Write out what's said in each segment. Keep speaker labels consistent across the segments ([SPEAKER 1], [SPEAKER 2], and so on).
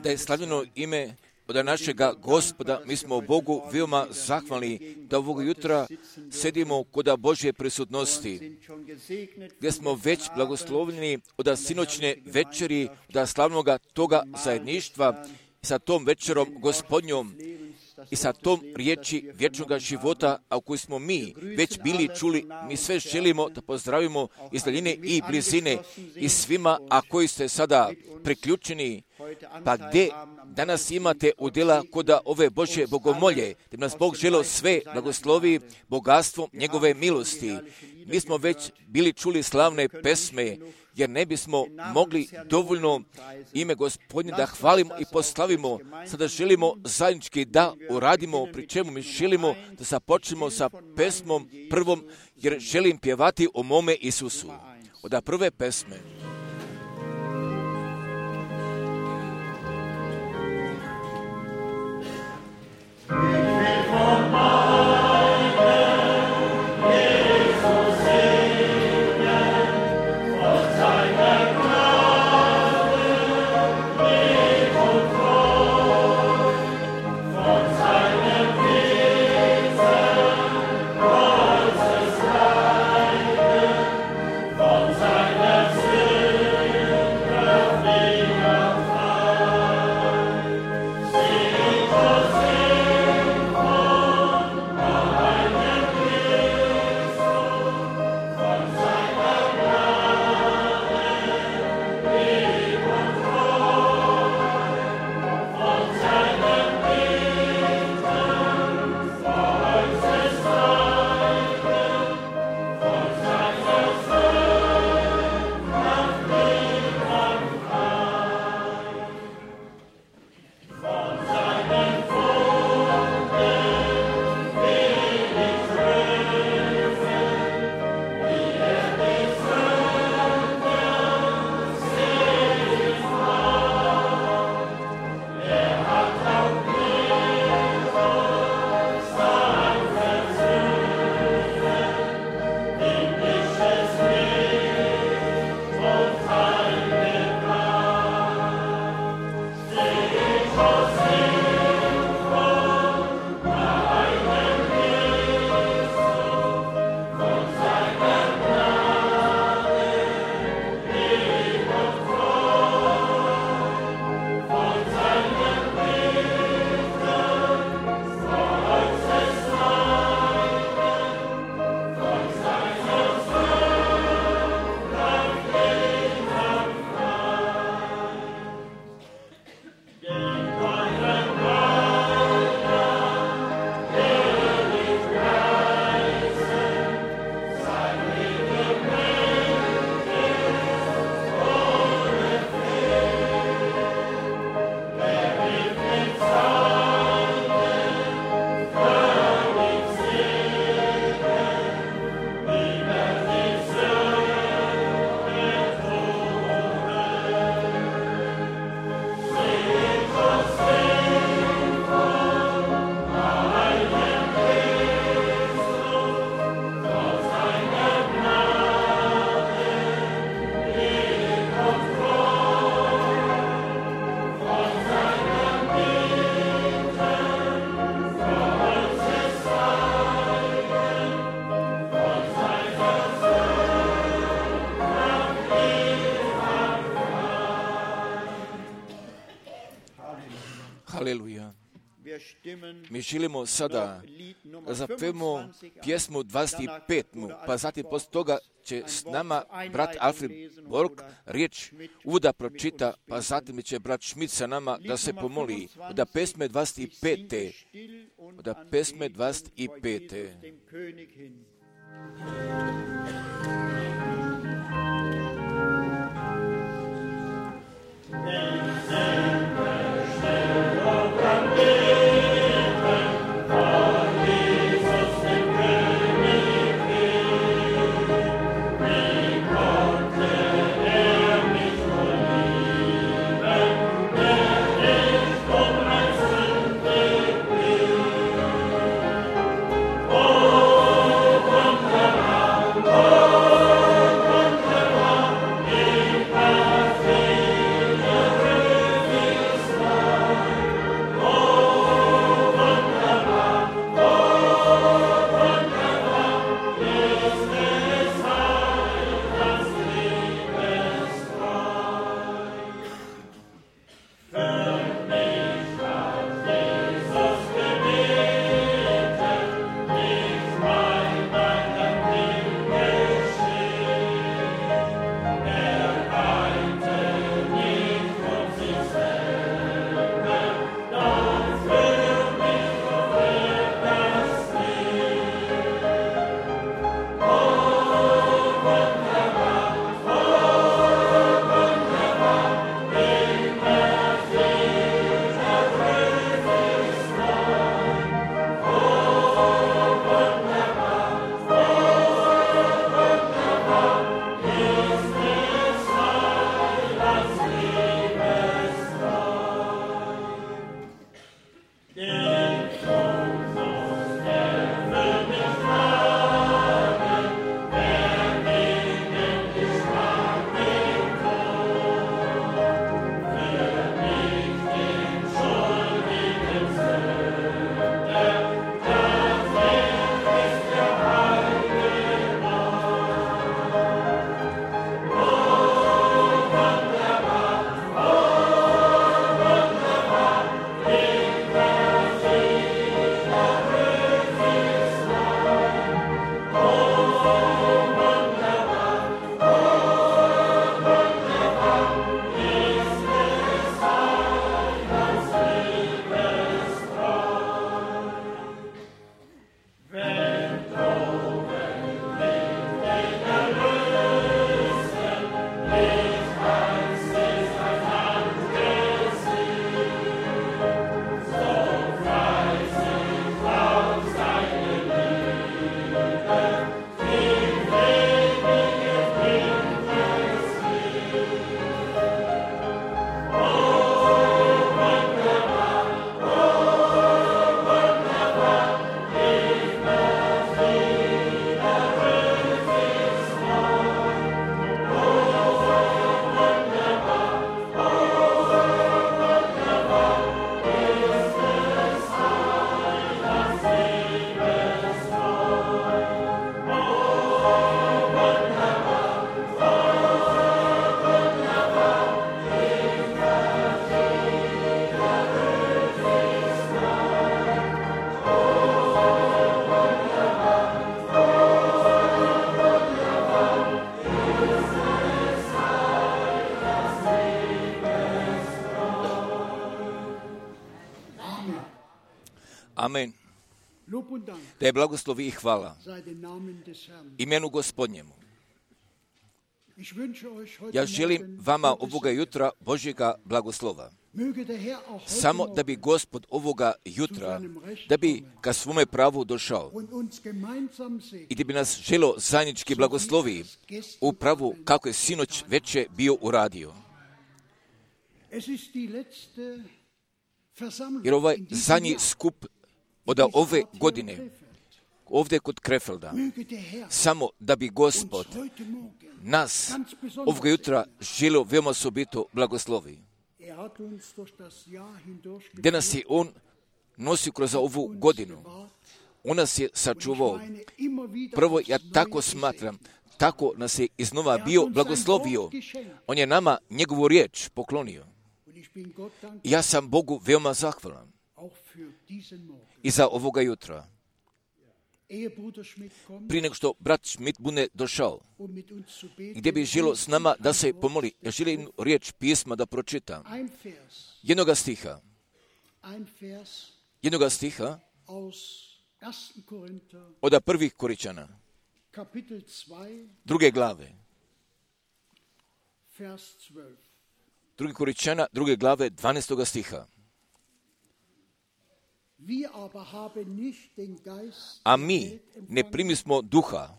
[SPEAKER 1] Da je slavljeno ime od našega Gospoda. Mi smo Bogu veoma zahvalni da ovog jutra sedimo kod Božje prisutnosti, gdje smo već blagoslovljeni od sinoćne večeri, od slavnoga toga zajedništva sa tom večerom Gospodnjom i sa tom riječi vječnog života, a u kojoj smo mi već bili čuli. Mi sve želimo da pozdravimo iz daljine i blizine i svima, a koji ste sada priključeni, pa gdje danas imate udjela kod ove Božje bogomolje, da nas Bog želeo sve blagoslovi bogatstvom njegove milosti. Mi smo već bili čuli slavne pesme, jer ne bismo mogli dovoljno ime Gospodnje da hvalimo i poslavimo. Sada želimo zajednički da uradimo, pri čemu mi želimo da započnemo sa pesmom prvom, jer želim pjevati o mome Isusu. Od prve pesme. Haleluja. Mi želimo sada da zapevamo pjesmu 25. Pa zatim poslije toga će s nama brat Alfred Borg riječ uvoda pročita, pa zatim će brat Schmidt sa nama da se pomoli. Od pesme 25. Od pesme 25.
[SPEAKER 2] Oh
[SPEAKER 1] Amen. Da je blagoslovi i hvala imenu Gospodnjemu. Ja želim vama ovoga jutra Božjega blagoslova. Samo da bi Gospod ovoga jutra, da bi ka svome pravu došao i da bi nas želo zajednički blagoslovi u pravu kako je sinoć veče bio uradio. Jer ovaj zadnji skup od ove godine, ovdje kod Krefelda, samo da bi Gospod nas ovoga jutra želio veoma osobito blagoslovi. Gdje nas je On nosio kroz ovu godinu, On nas je sačuvao. Prvo, ja tako smatram, tako nas je iznova bio blagoslovio. On je nama njegovu riječ poklonio. I ja sam Bogu veoma zahvalan i za ovoga jutra. Prije nego što brat Schmidt bude došao, gdje bi želio s nama da se pomoli, ja želim riječ pisma da pročitam. Jednoga stiha od prvih Koričana, 2. glave. 2. Koričana, 2. glave, 12. stiha. A mi ne primismo duha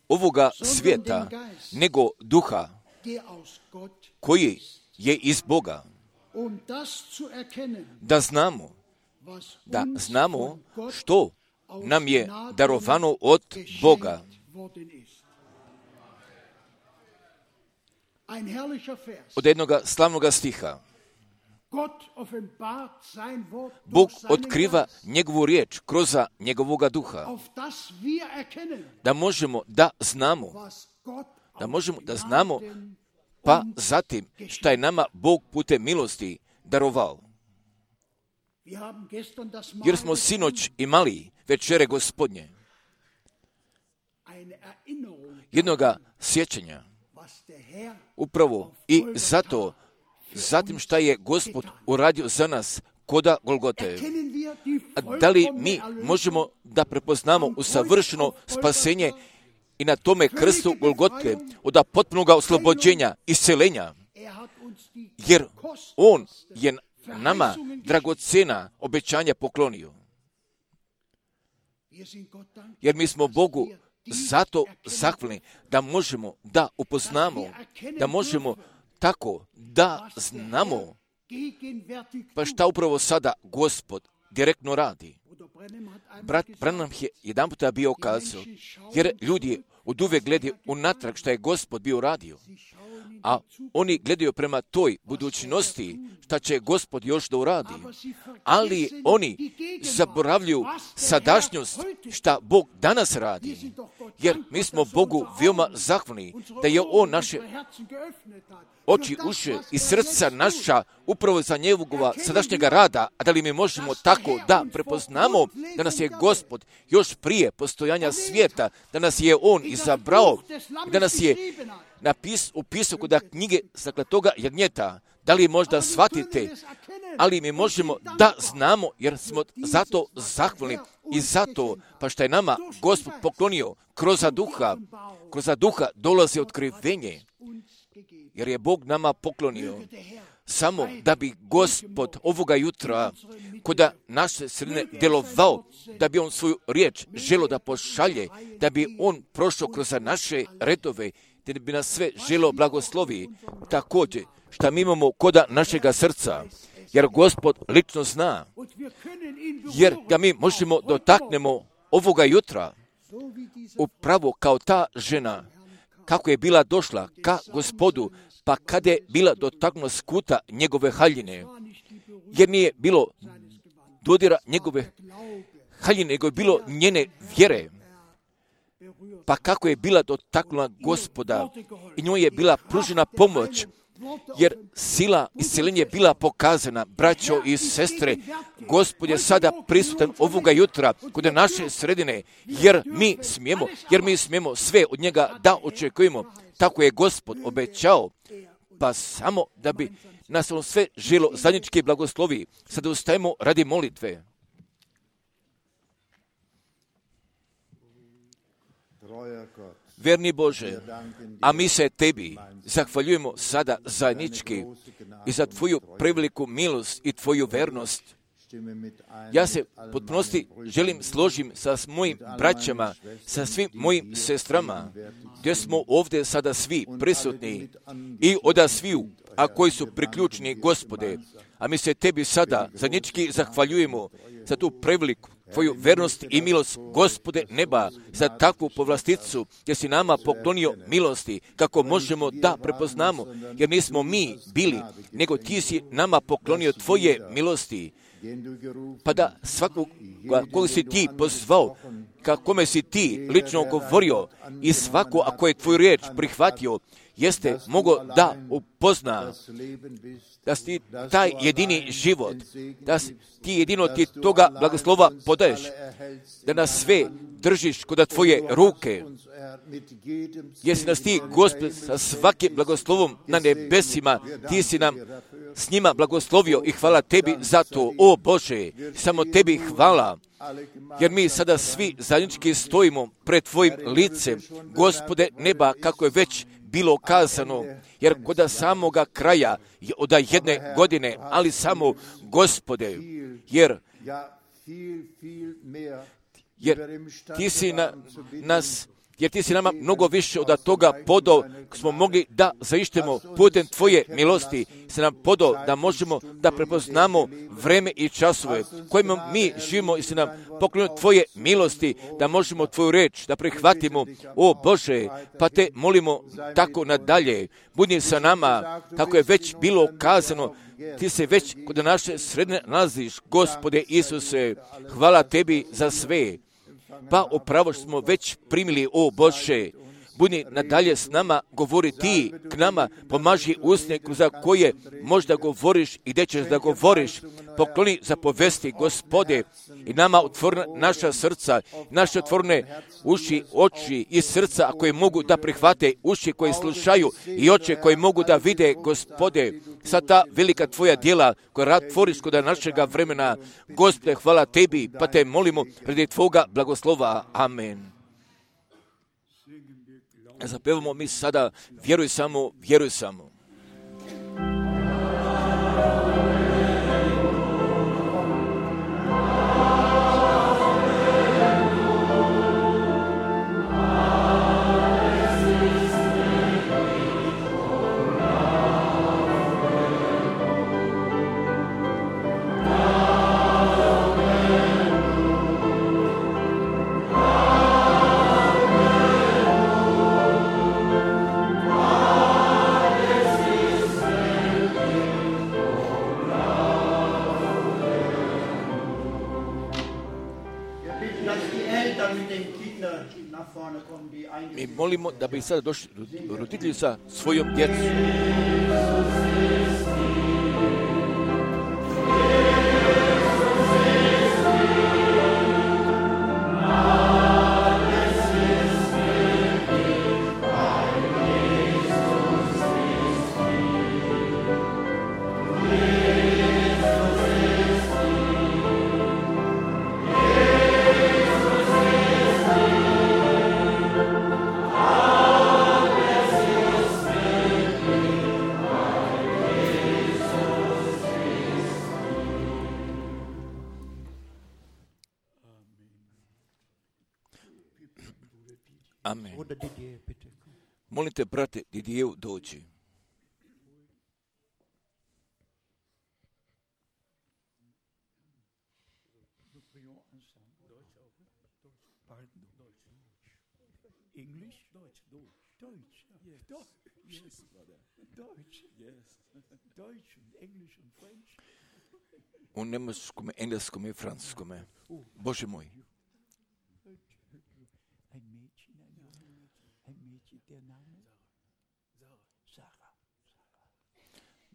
[SPEAKER 1] ovoga svijeta, nego duha koji je iz Boga. Da znamo što nam je darovano od Boga. Od jednoga slavnoga stiha. Bog otkriva njegovu riječ kroz njegovoga duha. Da možemo da znamo, pa zatim šta je nama Bog putem milosti darovao. Jer smo sinoć imali večere Gospodnje, jednoga sjećanja, upravo i zato, zatim šta je Gospod uradio za nas koda Golgote. Da li mi možemo da prepoznamo usavršeno spasenje i na tome krstu Golgote od potpunog oslobođenja, isceljenja? Jer On je nama dragocjena obećanja poklonio. Jer mi smo Bogu zato zahvalni da možemo da upoznamo, da možemo tako da znamo pa šta upravo sada Gospod direktno radi. Brat Branham je jedan puta bio kazao, jer ljudi od uvijek gledaju unatrag šta je Gospod bio radio, a oni gledaju prema toj budućnosti šta će Gospod još da uradi. Ali oni zaboravljaju sadašnjost šta Bog danas radi. Jer mi smo Bogu veoma zahvalni da je On naše oči, uši i srca naša upravo za njegova sadašnjega rada, a da li mi možemo tako da prepoznamo da nas je Gospod još prije postojanja svijeta, da nas je On izabrao, da nas je upisao kod knjige Saklatoga jagnjeta. Da li možda shvatite, ali mi možemo da znamo jer smo zato zahvalni i zato pa što je nama Gospod poklonio kroz duha dolazi otkrivenje, jer je Bog nama poklonio samo da bi Gospod ovoga jutra kod naše sredine djelovao, da bi On svoju riječ želio da pošalje, da bi On prošao kroz naše redove, da bi nas sve želio blagoslovi, također šta mi imamo koda našega srca, jer Gospod lično zna, jer ga mi možemo dotaknemo ovoga jutra, upravo kao ta žena, kako je bila došla ka Gospodu, pa kada je bila dotaknula skuta njegove haljine, jer nije bilo dodira njegove haljine, nego je bilo njene vjere, pa kako je bila dotaknula Gospoda i njoj je bila pružena pomoć, jer sila isceljenja je bila pokazana. Braćo i sestre, Gospod je sada prisutan ovoga jutra kod naše sredine, jer mi smijemo sve od njega da očekujemo. Tako je Gospod obećao, pa samo da bi nas on sve želo zajednički blagoslovi. Sada ustajemo radi molitve. Verni Bože, a mi se Tebi zahvaljujemo sada zajednički i za Tvoju preveliku milost i Tvoju vernost. Ja se potpunosti želim složim sa mojim braćama, sa svim mojim sestrama, gdje smo ovdje sada svi prisutni i oda sviju, a koji su priključni, Gospode, a mi se Tebi sada zajednički zahvaljujemo za tu preveliku Tvoju vernost i milost, Gospode neba, za takvu povlasticu, gdje si nama poklonio milosti, kako možemo da prepoznamo, jer nismo mi bili, nego Ti si nama poklonio Tvoje milosti, pa da svakog koga si Ti pozvao, kome si Ti lično govorio i svako, ako je Tvoju riječ prihvatio, jeste mogao da upozna da si taj jedini život, da si Ti jedino Ti toga blagoslova podaješ, da nas sve držiš kod Tvoje ruke, jer si nas Ti, Gospod, sa svakim blagoslovom na nebesima, Ti si nam s njima blagoslovio i hvala Tebi za to, o Bože, samo Tebi hvala, jer mi sada svi zajednički stojimo pred Tvojim licem, Gospode neba, kako je već bilo kazano, jer kod samoga kraja od jedne godine, ali samo, Gospode, jer Ti si jer Ti si nama mnogo više od toga podao, smo mogli da zaištemo putem Tvoje milosti, se nam podao da možemo da prepoznamo vreme i časove kojima mi živimo i se nam poklonio Tvoje milosti, da možemo Tvoju reč da prihvatimo, o Bože, pa Te molimo tako nadalje, budi sa nama, kako je već bilo kazano, Ti se već kod naše sredine nalaziš, Gospode Isuse, hvala Tebi za sve. Pa upravo smo već primili, o Bože, budi nadalje s nama, govori Ti k nama, pomaži usne za koje možda govoriš i gdje ćeš da govoriš, pokloni za povesti, Gospode, i nama otvori naša srca, naše otvorene uši, oči i srca koje mogu da prihvate, uši koje slušaju i oči koje mogu da vide, Gospode, sa ta velika Tvoja djela koja tvoriš kod našega vremena. Gospode, hvala Tebi, pa Te molimo radi Tvoga blagoslova. Amen. Zapevamo mi sada, vjeruj samo, vjeruj samo. Mi molimo da bi sada došli roditelji sa svojom djecom. Amen. Molite, brate Didijev, dođi. U njemačkom, engleskom i francuskom. Bože moj.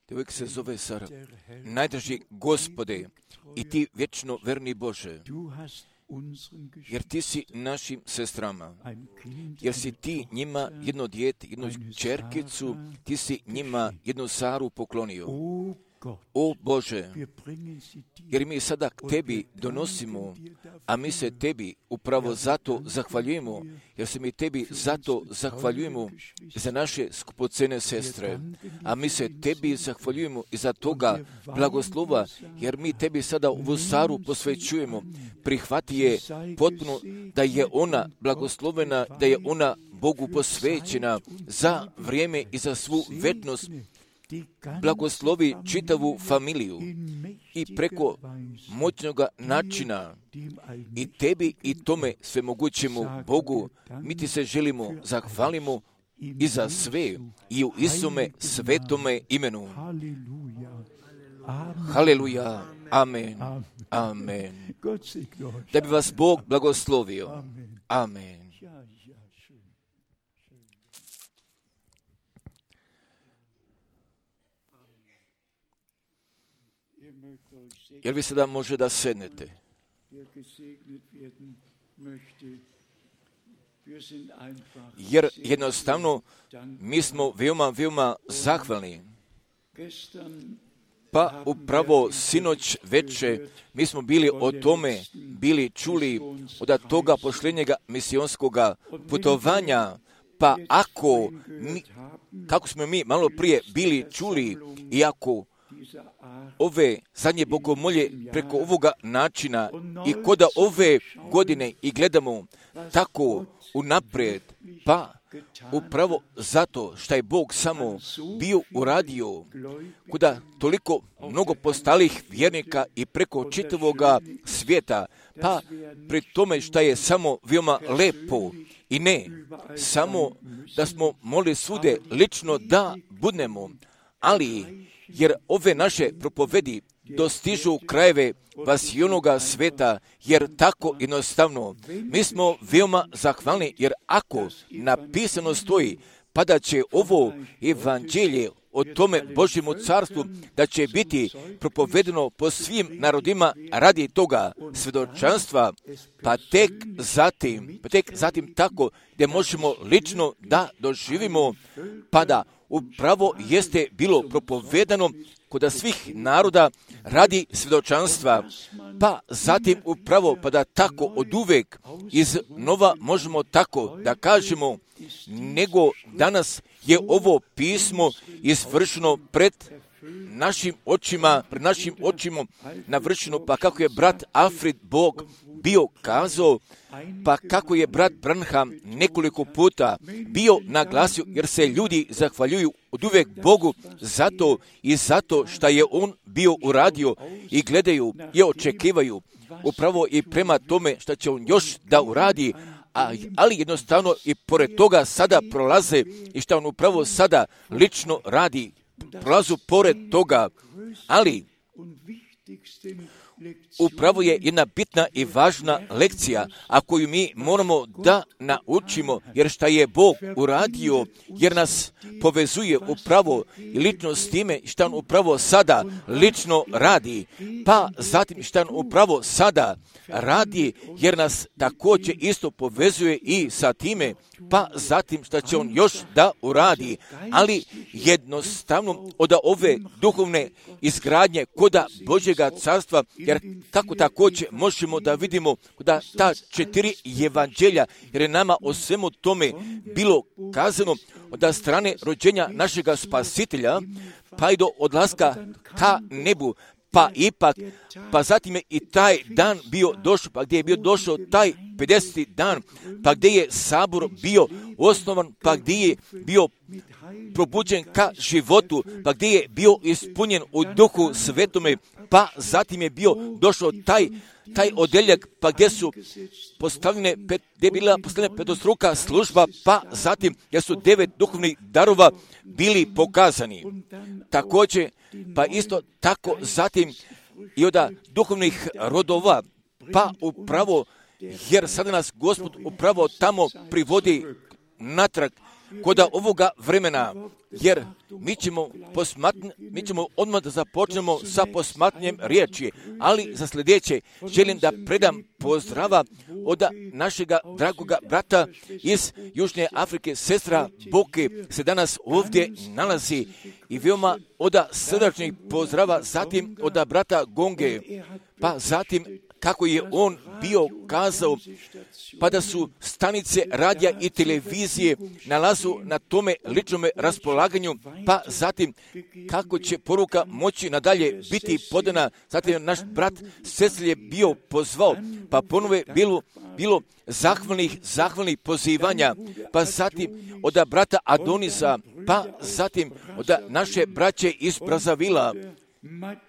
[SPEAKER 1] Djevojka se zove Sara. Najdraži Gospode i Ti vječno verni Bože, jer Ti si našim sestrama, jer si Ti njima jedno dijete, jednu čerkicu, Ti si njima jednu Saru poklonio. O Bože, jer mi sada k Tebi donosimo, a mi se tebi upravo zato zahvaljujemo, jer se mi tebi zato zahvaljujemo za naše skupocene sestre, a mi se tebi zahvaljujemo i za toga blagoslova, jer mi tebi sada ovu Saru posvećujemo. Prihvati je potpuno da je ona blagoslovena, da je ona Bogu posvećena za vrijeme i za svu večnost. Blagoslovi čitavu familiju i preko moćnoga načina i tebi i tome svemogućemu Bogu mi ti se želimo zahvalimo i za sve i u Isume svetome imenu. Haleluja, amen, amen. Da bi vas Bog blagoslovio. Amen. Jer vi sada može da sednete. Jer jednostavno mi smo veoma zahvalni. Pa upravo sinoć veče mi smo bili o tome čuli od toga pošljenjega misionskoga putovanja. Pa kako smo mi malo prije bili čuli, iako ove zadnje bogomolje preko ovoga načina i koda ove godine i gledamo tako unaprijed, pa upravo zato što je Bog samo bio uradio kuda toliko mnogo postalih vjernika i preko čitavoga svijeta, pa pri tome što je samo veoma lepo i ne samo da smo mogli svude lično da budemo, ali jer ove naše propovedi dostižu krajeve vasionoga sveta, jer tako jednostavno mi smo veoma zahvalni, jer ako napisano stoji, pa da će ovo evanđelje o tome Božjemu carstvu, da će biti propovedeno po svim narodima radi toga svjedočanstva, pa tek zatim tako gdje možemo lično da doživimo, pa da upravo jeste bilo propovedano kod svih naroda radi svjedočanstva, pa zatim upravo pa da tako oduvek iznova možemo tako da kažemo, nego danas je ovo pismo izvršeno pred našim očima navršeno, pa kako je brat Alfred Bog bio kazao, pa kako je brat Branham nekoliko puta bio naglasio, jer se ljudi zahvaljuju oduvek Bogu zato što je on bio uradio i gledaju i očekivaju upravo i prema tome što će on još da uradi, ali jednostavno i pored toga sada prolaze i što on upravo sada lično radi, prolazu pored toga, ali upravo je jedna bitna i važna lekcija, a koju mi moramo da naučimo, jer šta je Bog uradio, jer nas povezuje upravo i lično s time šta on upravo sada lično radi, pa zatim šta on upravo sada radi, jer nas također isto povezuje i sa time, pa zatim šta će on još da uradi, ali jednostavno od ove duhovne izgradnje koda Božjega carstva, jer tako također možemo da vidimo da ta 4 evanđelja, jer je nama o svemu tome bilo kazano od strane rođenja našega Spasitelja, pa i do odlaska ka nebu, pa zatim je i taj dan bio došao, pa gdje je bio došao taj 50. dan, pa gdje je sabor bio osnovan, pa gdje je bio probuđen ka životu, pa gdje je bio ispunjen u Duhu Svetome, pa zatim je bio došao taj odeljak, pa gdje su gdje je bila postavljena petostruka služba, pa zatim gdje su 9 duhovnih darova bili pokazani. Također, pa isto tako zatim i od duhovnih rodova, pa upravo, jer sada nas Gospod upravo tamo privodi natrag kod ovoga vremena, jer mi ćemo odmah da započnemo sa posmatranjem riječi, ali za sljedeće želim da predam pozdrava od našega dragoga brata iz Južne Afrike, sestra Boke se danas ovdje nalazi i veoma od srdačnih pozdrava, zatim od brata Gonge, pa zatim kako je on bio kazao, pa da su stanice radija i televizije nalazu na tome ličnome raspolaganju, pa zatim kako će poruka moći nadalje biti podana. Zatim naš brat Cecil je bio pozvao, pa ponove bilo zahvalnih pozivanja, pa zatim od brata Adonisa, pa zatim od naše braće iz Brazavila,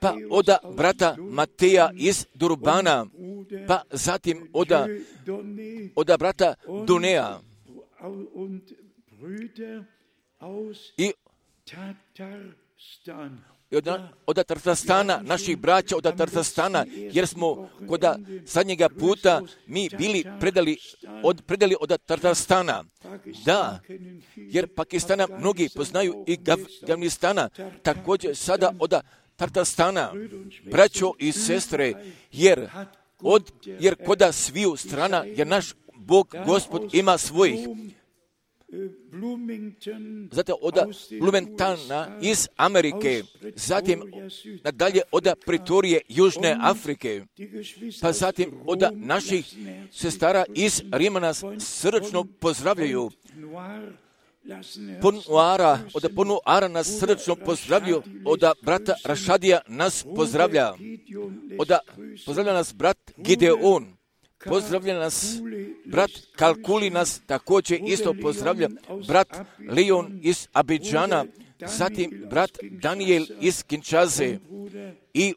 [SPEAKER 1] pa od brata Mateja iz Durbana, pa zatim od brata Donea i od Tartastana, naših braća od Tartastana, jer smo kod zadnjega puta mi bili predali od Tartastana. Da, jer Pakistana mnogi poznaju i Afganistana, također sada od Tartastana, braćo i sestre, jer kod sviju strana, jer naš Bog, Gospod, ima svojih. Zatim od Blumentana iz Amerike, zatim nadalje od Pretorije Južne Afrike, pa zatim od naših sestara iz Rima nas srdačno pozdravljaju. Od Ponuara nas srdačno pozdravljaju, od brata Rašadija nas pozdravlja, pozdravlja nas brat Gideon, pozdravlja nas brat Kalkuli nas također isto pozdravlja, brat Leon iz Abidžana, zatim brat Daniel iz Kinshase i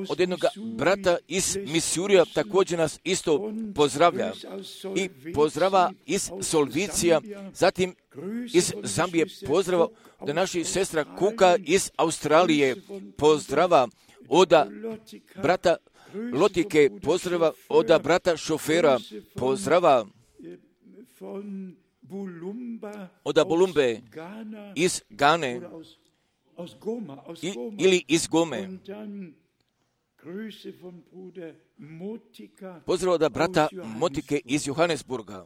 [SPEAKER 1] od jednog brata iz Misurija također nas isto pozdravlja i pozdrava iz Solvicija, zatim iz Zambije pozdrava od naših sestra Kuka iz Australije, pozdrava od brata Lotike, pozdrava od brata Šofera, pozdrava od Bulumbe iz Gane ili iz Gome. Pozdrav od brata Motike iz Johannesburga.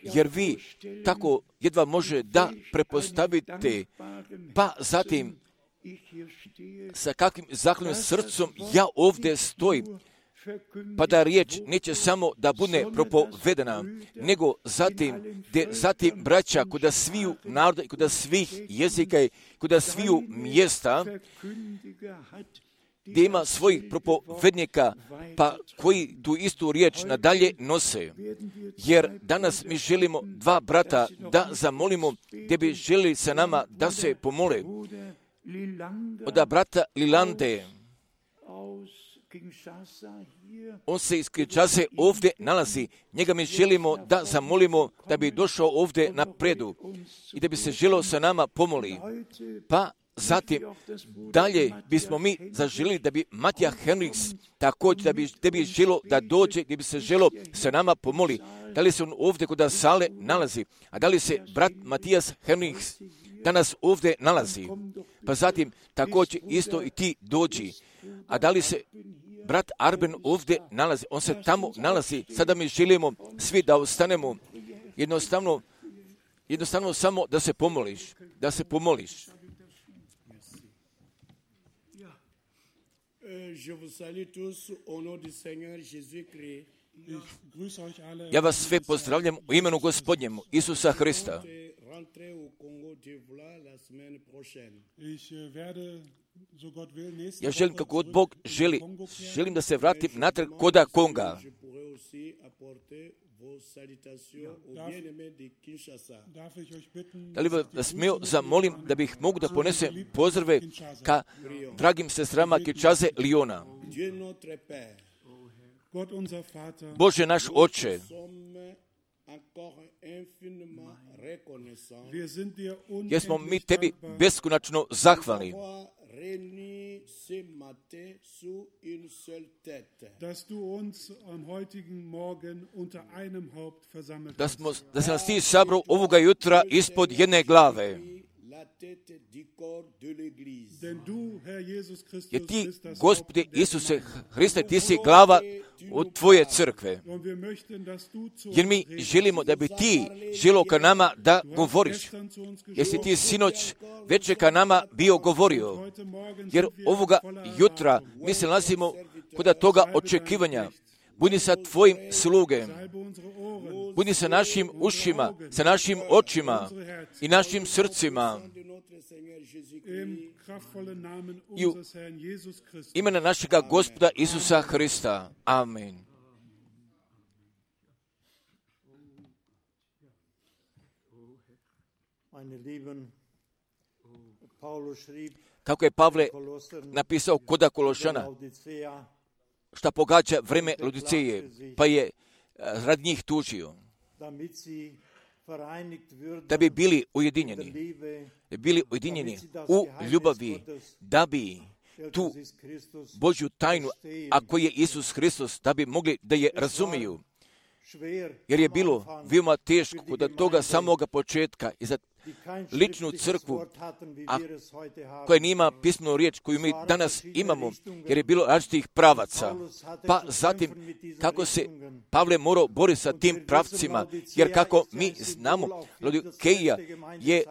[SPEAKER 1] Jer vi tako jedva može da prepostavite, pa zatim sa kakvim zahvalnim srcom ja ovdje stojim, pa da riječ neće samo da bude propovedena, nego zatim braća kuda sviju naroda i kuda svih jezika i kuda sviju mjesta, gdje ima svojih propovednika, pa koji tu istu riječ nadalje nose. Jer danas mi želimo dva brata da zamolimo, gdje bi želili sa nama da se pomole. Od brata Lilande, on se iz Kinshase ovdje nalazi, njega mi želimo da zamolimo da bi došao ovdje na predu i da bi se želio sa nama pomoli. Pa zatim dalje bismo mi zaželili da bi Matija Henriks također da bi želio da dođe, da bi se želio sa nama pomoli. Da li se on ovdje kod sale nalazi, a da li se brat Matijas Henriks danas ovdje nalazi, pa zatim također isto i ti dođi. A da li se brat Arben ovdje nalazi, on se tamo nalazi, sada mi želimo svi da ostanemo, jednostavno samo da se pomoliš. Ja vas sve pozdravljam u imenu Gospodnjemu, Isusa Hrista. Ja želim, kako god Bog želim da se vratim natrag koda Konga. Da li vas smio zamolim da bih mogu da ponesem pozdrave ka dragim sestrama Kinshase Liona. Bože naš Oče, jer smo mi tebi beskonačno zahvalni da se nas ti sabrao ovoga jutra ispod jedne glave. Jer ti, Gospode Isuse Hriste, ti si glava od tvoje crkve. Jer mi želimo da bi ti želio ka nama da govoriš. Jer si ti sinoć večer ka nama bio govorio. Jer ovoga jutra mi se nalazimo kod toga očekivanja. Budi sa tvojim sluge. Budi sa našim ušima, sa našim očima i našim srcima. I u imena našega Gospoda Isusa Hrista. Amen. Kako je Pavle napisao kod Kološana, šta pogađa vreme Laodiceje, pa je rad njih tužio, da bi bili ujedinjeni u ljubavi, da bi tu Božju tajnu, a koji je Isus Hristos, da bi mogli da je razumiju. Jer je bilo veoma teško kod toga samoga početka i za ličnu crkvu, a koja nima pismenu riječ koju mi danas imamo, jer je bilo različitih pravaca. Pa zatim, kako se Pavle morao boriti sa tim pravcima, jer kako mi znamo, Laodikeja je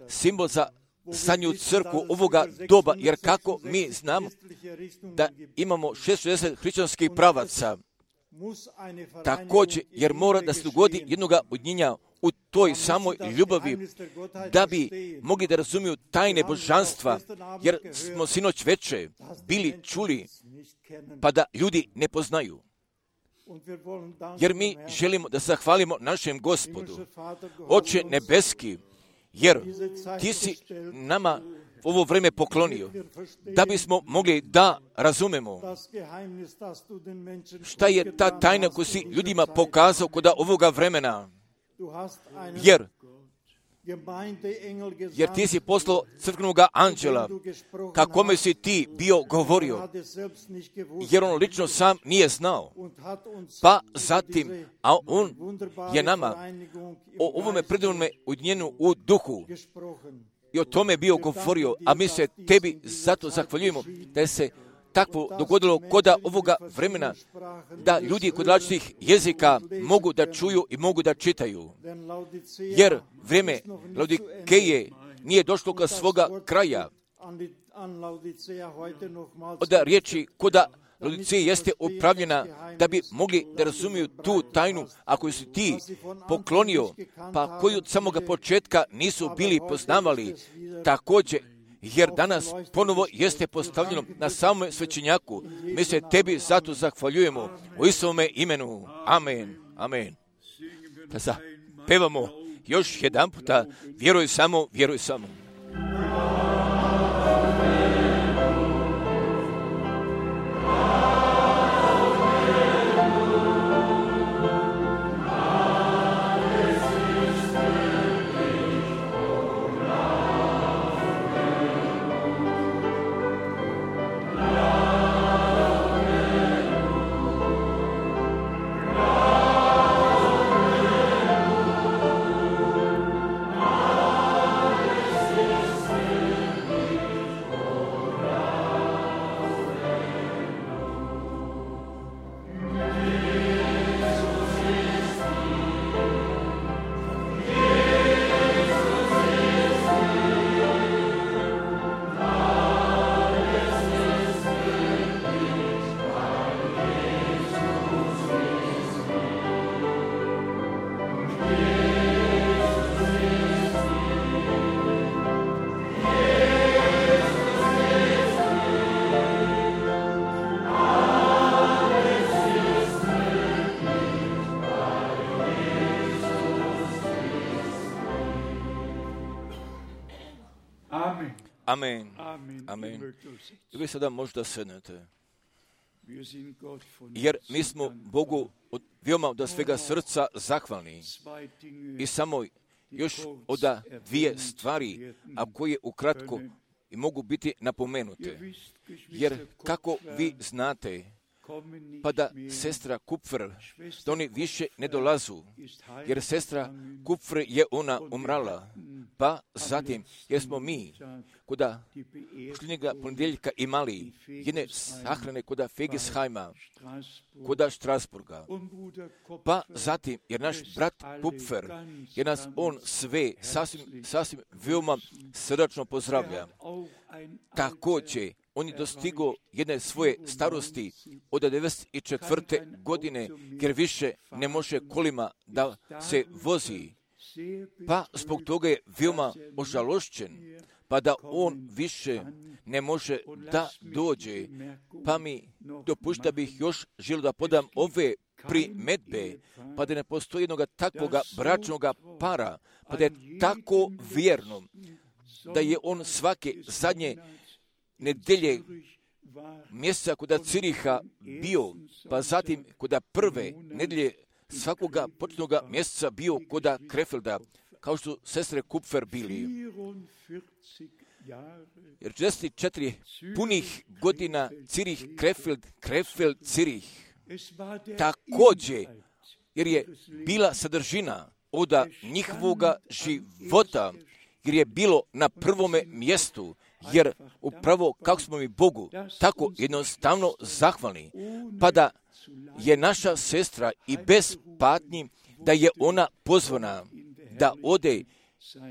[SPEAKER 1] simbol za zadnju crkvu ovoga doba, jer kako mi znamo da imamo 660 hrišćanskih pravaca, također, jer mora da se dogodi jednoga udnjenja u toj samoj ljubavi, da bi mogli da razumiju tajne božanstva, jer smo sinoć veče bili čuli, pa da ljudi ne poznaju. Jer mi želimo da zahvalimo našem Gospodu, Oče nebeski, jer ti si nama ovo vreme poklonio, da bismo mogli da razumemo šta je ta tajna koju si ljudima pokazao kod ovoga vremena. Jer ti si poslao crkvenog anđela, kakome si ti bio govorio, jer on lično sam nije znao. Pa zatim, a on je nama o ovome predivnome ujedinjenju u duhu i o tome bio govorio, a mi se tebi zato zahvaljujemo da je se takvo dogodilo kod ovoga vremena, da ljudi kod različitih jezika mogu da čuju i mogu da čitaju. Jer vrijeme Laodikeje nije došlo kod svoga kraja. Od riječi kod Laodiceje jeste upravljena da bi mogli da razumiju tu tajnu, a koju si ti poklonio, pa koju od samoga početka nisu bili poznavali. Također, jer danas ponovo jeste postavljeno na samom svećenjaku. Mi se tebi zato zahvaljujemo u Isovome imenu. Amen. Amen. Da zapevamo još jedan puta. Vjeruj samo, vjeruj samo. Amen. Amen. I vi sada možda sednete. Jer mi smo Bogu veoma od svega srca zahvalni. I samo još od dvije stvari, a koje ukratko i mogu biti napomenute. Jer kako vi znate, pa da sestra Kupfer, da oni više ne dolazu, jer sestra Kupfer je ona umrala, pa zatim, jer smo mi koda posljednjega ponedjeljka imali jedne sahrane koda Fegesheima, koda Strasburga, pa zatim, jer naš brat Kupfer, jer nas on sve sasvim veoma srdačno pozdravlja. Također, on je dostigo jedne svoje starosti od 94. godine, jer više ne može kolima da se vozi. Pa zbog toga je veoma ožalošćen, pa da on više ne može da dođe. Pa mi dopušta bih još želio da podam ove primedbe, pa da ne postoji jednoga takvoga bračnog para, pa da je tako vjerno, da je on svake zadnje nedelje mjeseca koda Ciriha bio, pa zatim koda prve nedelje svakoga početnoga mjeseca bio koda Krefelda, kao što sestre Kupfer bili. Jer 44 punih godina Cirih, Krefeld, Cirih. Također, jer je bila sadržina od njihovoga života, jer je bilo na prvome mjestu, jer upravo kako smo mi Bogu tako jednostavno zahvalni, pa da je naša sestra i bez patnji, da je ona pozvana da ode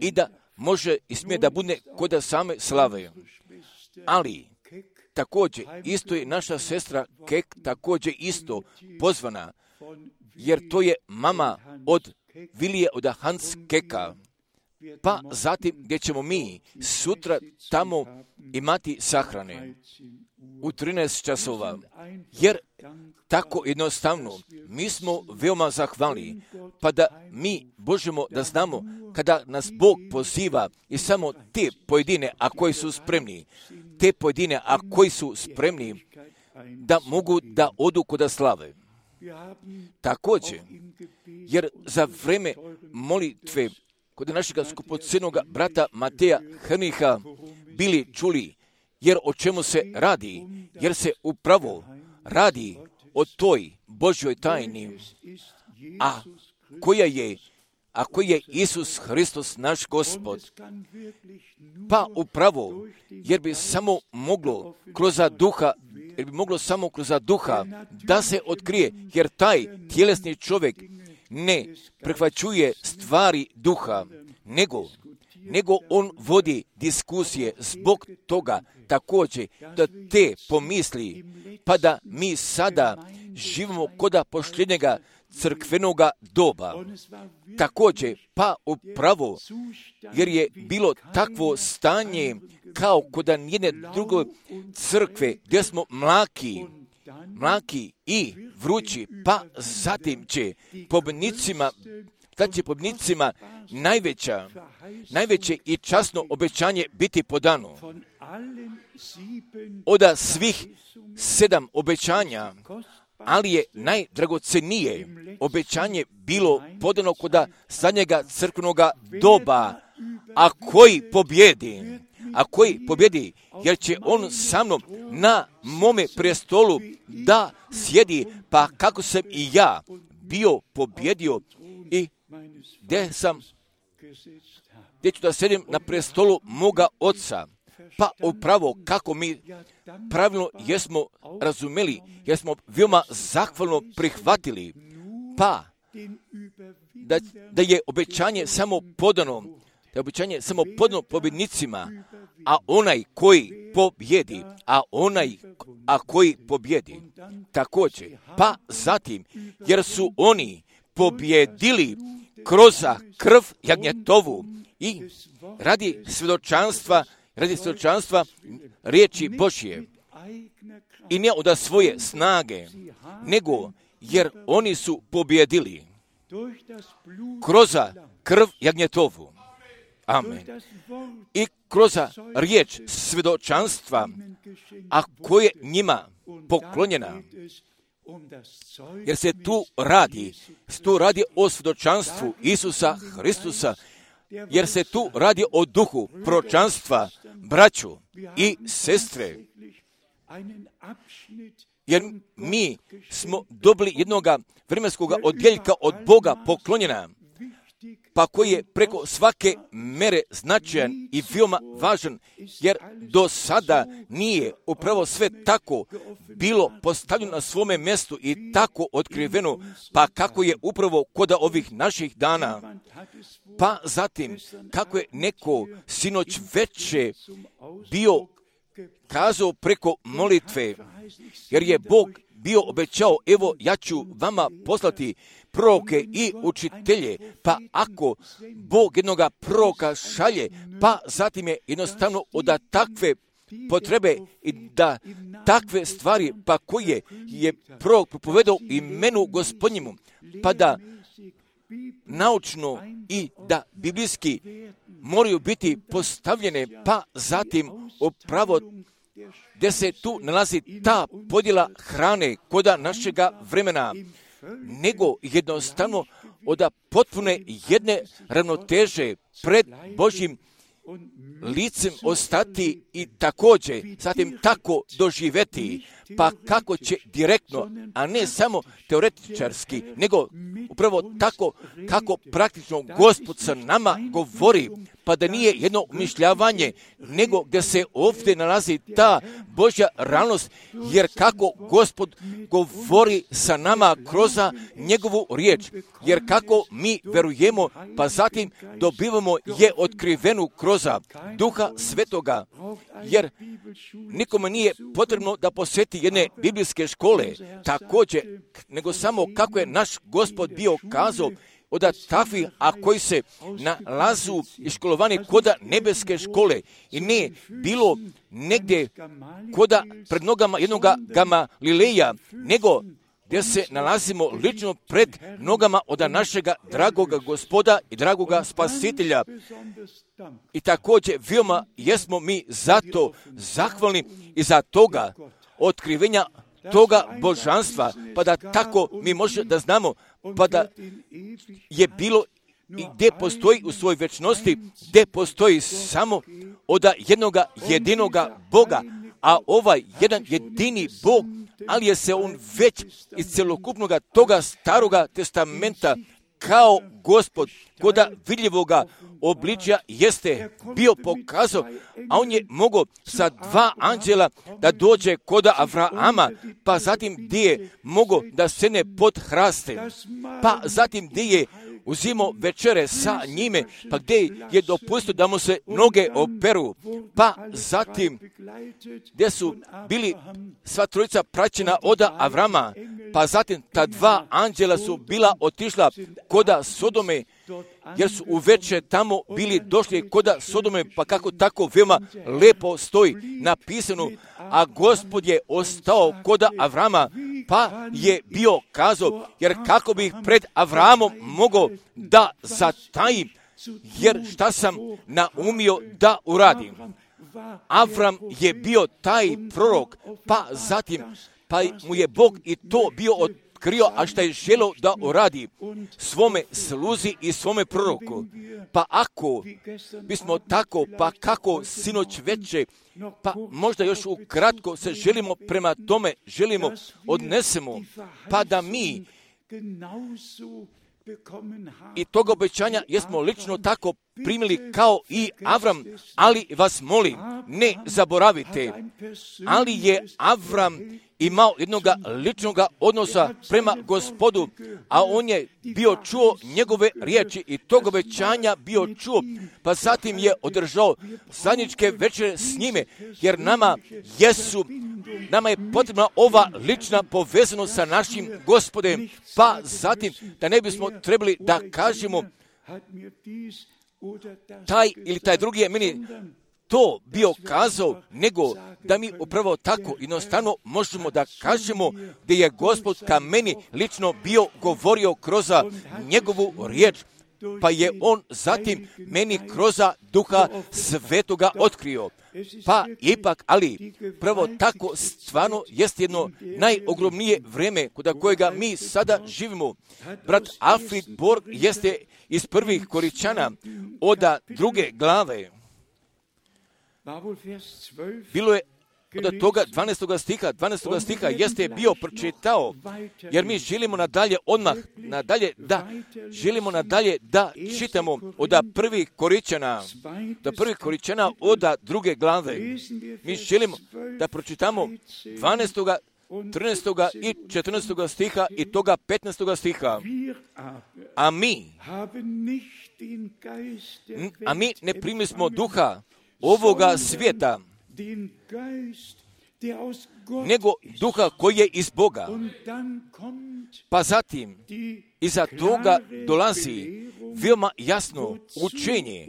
[SPEAKER 1] i da može i smije da bude kod same slave. Ali također isto je naša sestra Kek također isto pozvana, jer to je mama od Vilije od Hans Keka. Pa zatim gdje ćemo mi sutra tamo imati sahrane u 13 časova, jer tako jednostavno mi smo veoma zahvalni, pa da mi možemo da znamo kada nas Bog poziva i samo te pojedine, a koji su spremni, da mogu da odu kod slave. Također, jer za vreme molitve kod našega skupocjenog brata Mateja Hrniha bili čuli, jer o čemu se radi, jer se upravo radi o toj Božjoj tajni, a koji je Isus Hristos naš Gospod. Pa upravo, jer bi samo moglo kroz duha da se otkrije, jer taj tjelesni čovjek ne prihvaćuje stvari duha, nego on vodi diskusije zbog toga također da te pomisli, pa da mi sada živimo koda posljednjega crkvenoga doba. Također, pa upravo, jer je bilo takvo stanje kao koda nijedne druge crkve gdje smo mlaki i vrući, pa zatim će pobjednicima najveće i časno obećanje biti podano. Od svih 7 obećanja, ali je najdragocenije obećanje bilo podano kod zadnjega crkvenoga doba, a koji pobjedi, jer će on sa mnom na mome prestolu da sjedi, pa kako sam i ja bio pobjedio i gdje ću da sjedim na prestolu moga oca. Pa upravo kako mi pravilno jesmo razumeli, jer smo veoma zahvalno prihvatili, pa da je obećanje samo podano, pobjednicima, a onaj koji pobjedi, također, pa zatim, jer su oni pobjedili kroz krv jagnjetovu i radi svjedočanstva riječi Božje, i ne od svoje snage, nego jer oni su pobjedili kroz krv jagnjetovu. Amen. I kroz riječ svjedočanstva, a koje njima poklonjena. Jer se tu radi o svjedočanstvu Isusa Hristusa, jer se tu radi o duhu proročanstva, braću i sestre. jer mi smo dobili jednoga vremenskog odjeljka od Boga poklonjena, pa koji je preko svake mere značajan i veoma važan, jer do sada nije upravo sve tako bilo postavljeno na svome mjestu i tako otkriveno, pa kako je upravo kod ovih naših dana. Pa zatim, kako je neko sinoć veče bio kazao preko molitve, jer je Bog bio obećao, evo ja ću vama poslati proroke i učitelje, pa ako Bog jednoga proroka šalje, pa zatim je jednostavno od takve potrebe i da takve stvari, pa koje je prorok propovedao imenu Gospodnjemu, pa da naučno i da biblijski moraju biti postavljene, pa zatim upravo gdje se tu nalazi ta podjela hrane koda našega vremena, nego jednostavno od potpune jedne ravnoteže pred Božjim licem ostati i također zatim tako doživjeti, pa kako će direktno, a ne samo teoretičarski, nego upravo tako kako praktično Gospod sa nama govori, pa da nije jedno umišljavanje, nego gdje se ovdje nalazi ta Božja realnost, jer kako Gospod govori sa nama kroz njegovu riječ, jer kako mi verujemo, pa zatim dobivamo je otkrivenu kroz Duha Svetoga, jer nikome nije potrebno da posjeti jedne biblijske škole, također, nego samo kako je naš Gospod bio kazao, od takvih, a koji se nalazu i školovani koda nebeske škole i ne bilo negdje koda pred nogama jednoga Gamalileja, nego gdje se nalazimo lično pred nogama od našega dragoga Gospoda i dragoga Spasitelja. I također veoma jesmo mi zato zahvalni i za toga otkrivenja toga božanstva, pa da tako mi možemo da znamo, pa da je bilo i gdje postoji u svojoj večnosti, gdje postoji samo od jednoga jedinoga Boga, a ovaj jedan jedini Bog, ali je se on već iz celokupnog toga staroga testamenta kao Gospod koda vidljivoga obličja jeste bio pokazao, a on je mogao sa 2 anđela da dođe koda Avrahama, pa zatim gdje je mogao da sene pod hraste, pa zatim gdje je uzimao večere sa njime, pa gdje je dopustio da mu se noge operu, pa zatim gdje su bili sva trojica praćena od Avrama, pa zatim ta 2 anđela su bila otišla koda Sodome, jer su uveče tamo bili došli koda Sodome, pa kako tako veoma lepo stoji napisano, a Gospod je ostao koda Avrama, pa je bio kazao, jer kako bih pred Avramom mogao da zatajim, jer šta sam naumio da uradim. Avram je bio taj prorok, pa zatim, pa mu je Bog i to bio otkrio, a šta je želeo da uradi svome sluzi i svome proroku. Pa ako bismo tako, pa kako sinoć veče, pa možda još ukratko se želimo prema tome, želimo odnesemo, pa da mi i toga obećanja jesmo lično tako primili kao i Avram, ali vas molim, ne zaboravite, ali je Avram imao jednog ličnog odnosa prema Gospodu, a on je bio čuo njegove riječi i tog obećanja bio čuo, pa zatim je održao zajedničke večere s njime, jer nama je potrebna ova lična povezanost sa našim Gospodem, pa zatim da ne bismo trebali da kažemo taj ili taj drugi je meni to bio kazao, nego da mi upravo tako jednostavno možemo da kažemo da je Gospod ka meni lično bio govorio kroz njegovu riječ, pa je on zatim meni kroz Duha Svetoga otkrio. Pa ipak, ali pravo tako stvarno jest jedno najogromnije vrijeme kod kojega mi sada živimo. Brat Alfred Borg jeste iz prvih Koričana od 2. glave. Bilo je od toga 12. stiha jeste bio pročitao, jer mi želimo nadalje da čitamo od prvih Koričana od druge glave. Mi želimo da pročitamo 12. 13. i 14. stiha i toga 15. stiha. A mi ne primismo duha ovoga svijeta, nego duha koji je iz Boga. Pa zatim iza toga dolazi veoma jasno učenje.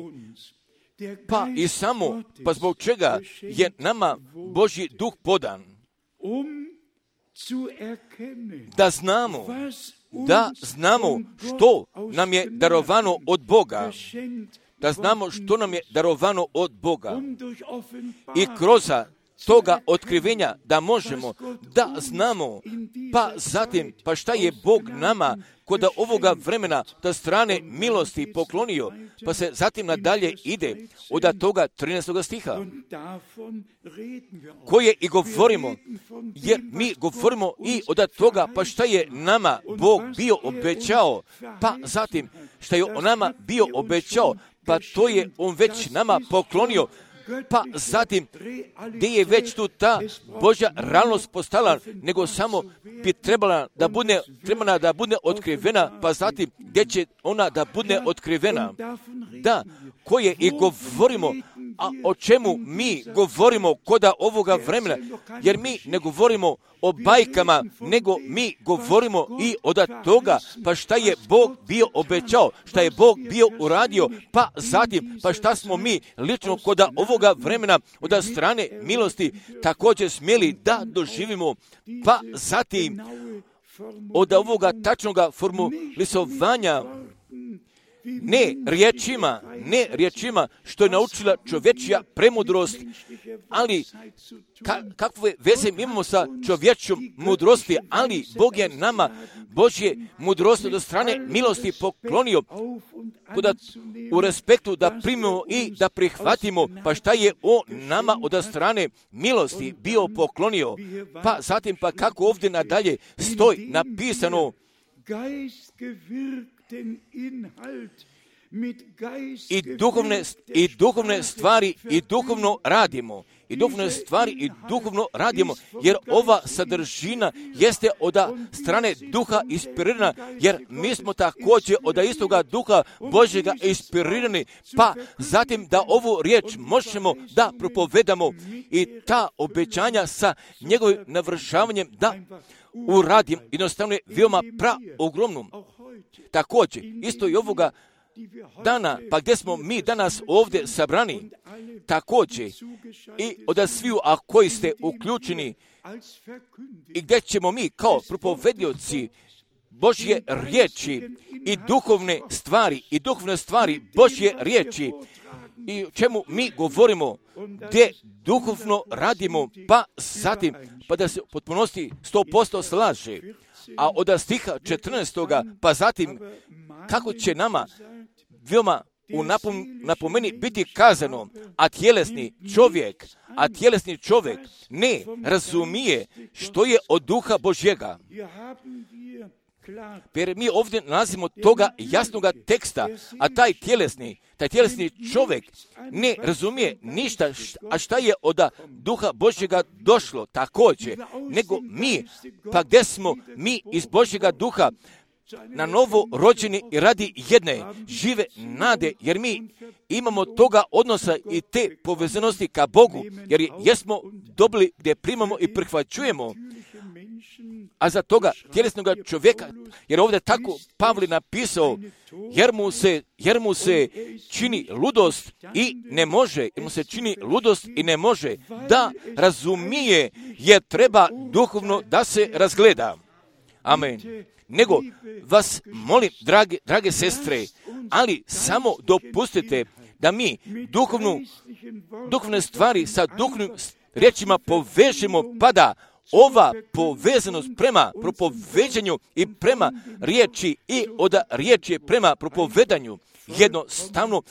[SPEAKER 1] Pa zbog čega je nama Božji duh podan? Da znamo što nam je darovano od Boga. Da znamo što nam je darovano od Boga. I kroz toga otkrivenja da možemo da znamo, pa zatim, pa šta je Bog nama kod ovoga vremena da strane milosti poklonio, pa se zatim nadalje ide od toga 13. stiha, koje i govorimo, jer mi govorimo i od toga, pa šta je nama Bog bio obećao, pa zatim šta je on nama bio obećao, pa to je on već nama poklonio, pa zatim gdje je već tu ta Božja realnost postala, nego samo bi trebala da bude otkrivena, pa zatim gdje će ona da bude otkrivena. Da, koje i govorimo, a o čemu mi govorimo kod ovoga vremena, jer mi ne govorimo o bajkama, nego mi govorimo i od toga, pa šta je Bog bio obećao, šta je Bog bio uradio, pa zatim, pa šta smo mi lično kod ovoga vremena od strane milosti također smjeli da doživimo, pa zatim od ovoga tačnoga formulisovanja, ne riječima što je naučila čovječja premudrost, ali kakve veze imamo sa čovječjom mudrosti, ali Bog je nama Božje mudrosti od strane milosti poklonio u respektu da primimo i da prihvatimo, pa šta je on nama od strane milosti bio poklonio, pa zatim pa kako ovdje nadalje stoji napisano, i duhovne stvari i duhovno radimo, jer ova sadržina jeste od strane duha inspirirana, jer mi smo također od istoga duha Božjega inspirirani, pa zatim da ovu riječ možemo da propovedamo i ta obećanja sa njegovim navršavanjem da uradim, jednostavno je veoma ogromnom. Također, isto i ovoga dana, pa gdje smo mi danas ovdje sabrani, također i od sviju, a koji ste uključeni, i gdje ćemo mi kao propovedioci Božje riječi i duhovne stvari Božje riječi, i o čemu mi govorimo, gdje duhovno radimo, pa zatim, pa da se u potpunosti 100% slaže. A od stiha 14. pa zatim, kako će nama veoma u napomeni biti kazano, a tjelesni čovjek ne razumije što je od duha Božjega. Jer mi ovdje nalazimo toga jasnoga teksta, a taj tjelesni čovjek ne razumije ništa, a šta je od duha Božjega došlo također, nego mi, pa gdje smo mi iz Božjega duha na novo rođeni i radi jedne žive nade, jer mi imamo toga odnosa i te povezanosti ka Bogu, jer jesmo dobili gdje primamo i prihvaćujemo. A za toga tjelesnog čovjeka, jer ovdje tako Pavle napisao, jer mu se čini ludost i ne može, da razumije, jer treba duhovno da se razgleda. Amen. Nego vas molim, drage sestre, ali samo dopustite da mi duhovne stvari sa duhovnim riječima povežemo, pa da ova povezanost prema propoveđanju i prema riječi i od riječi prema propovedanju jednostavno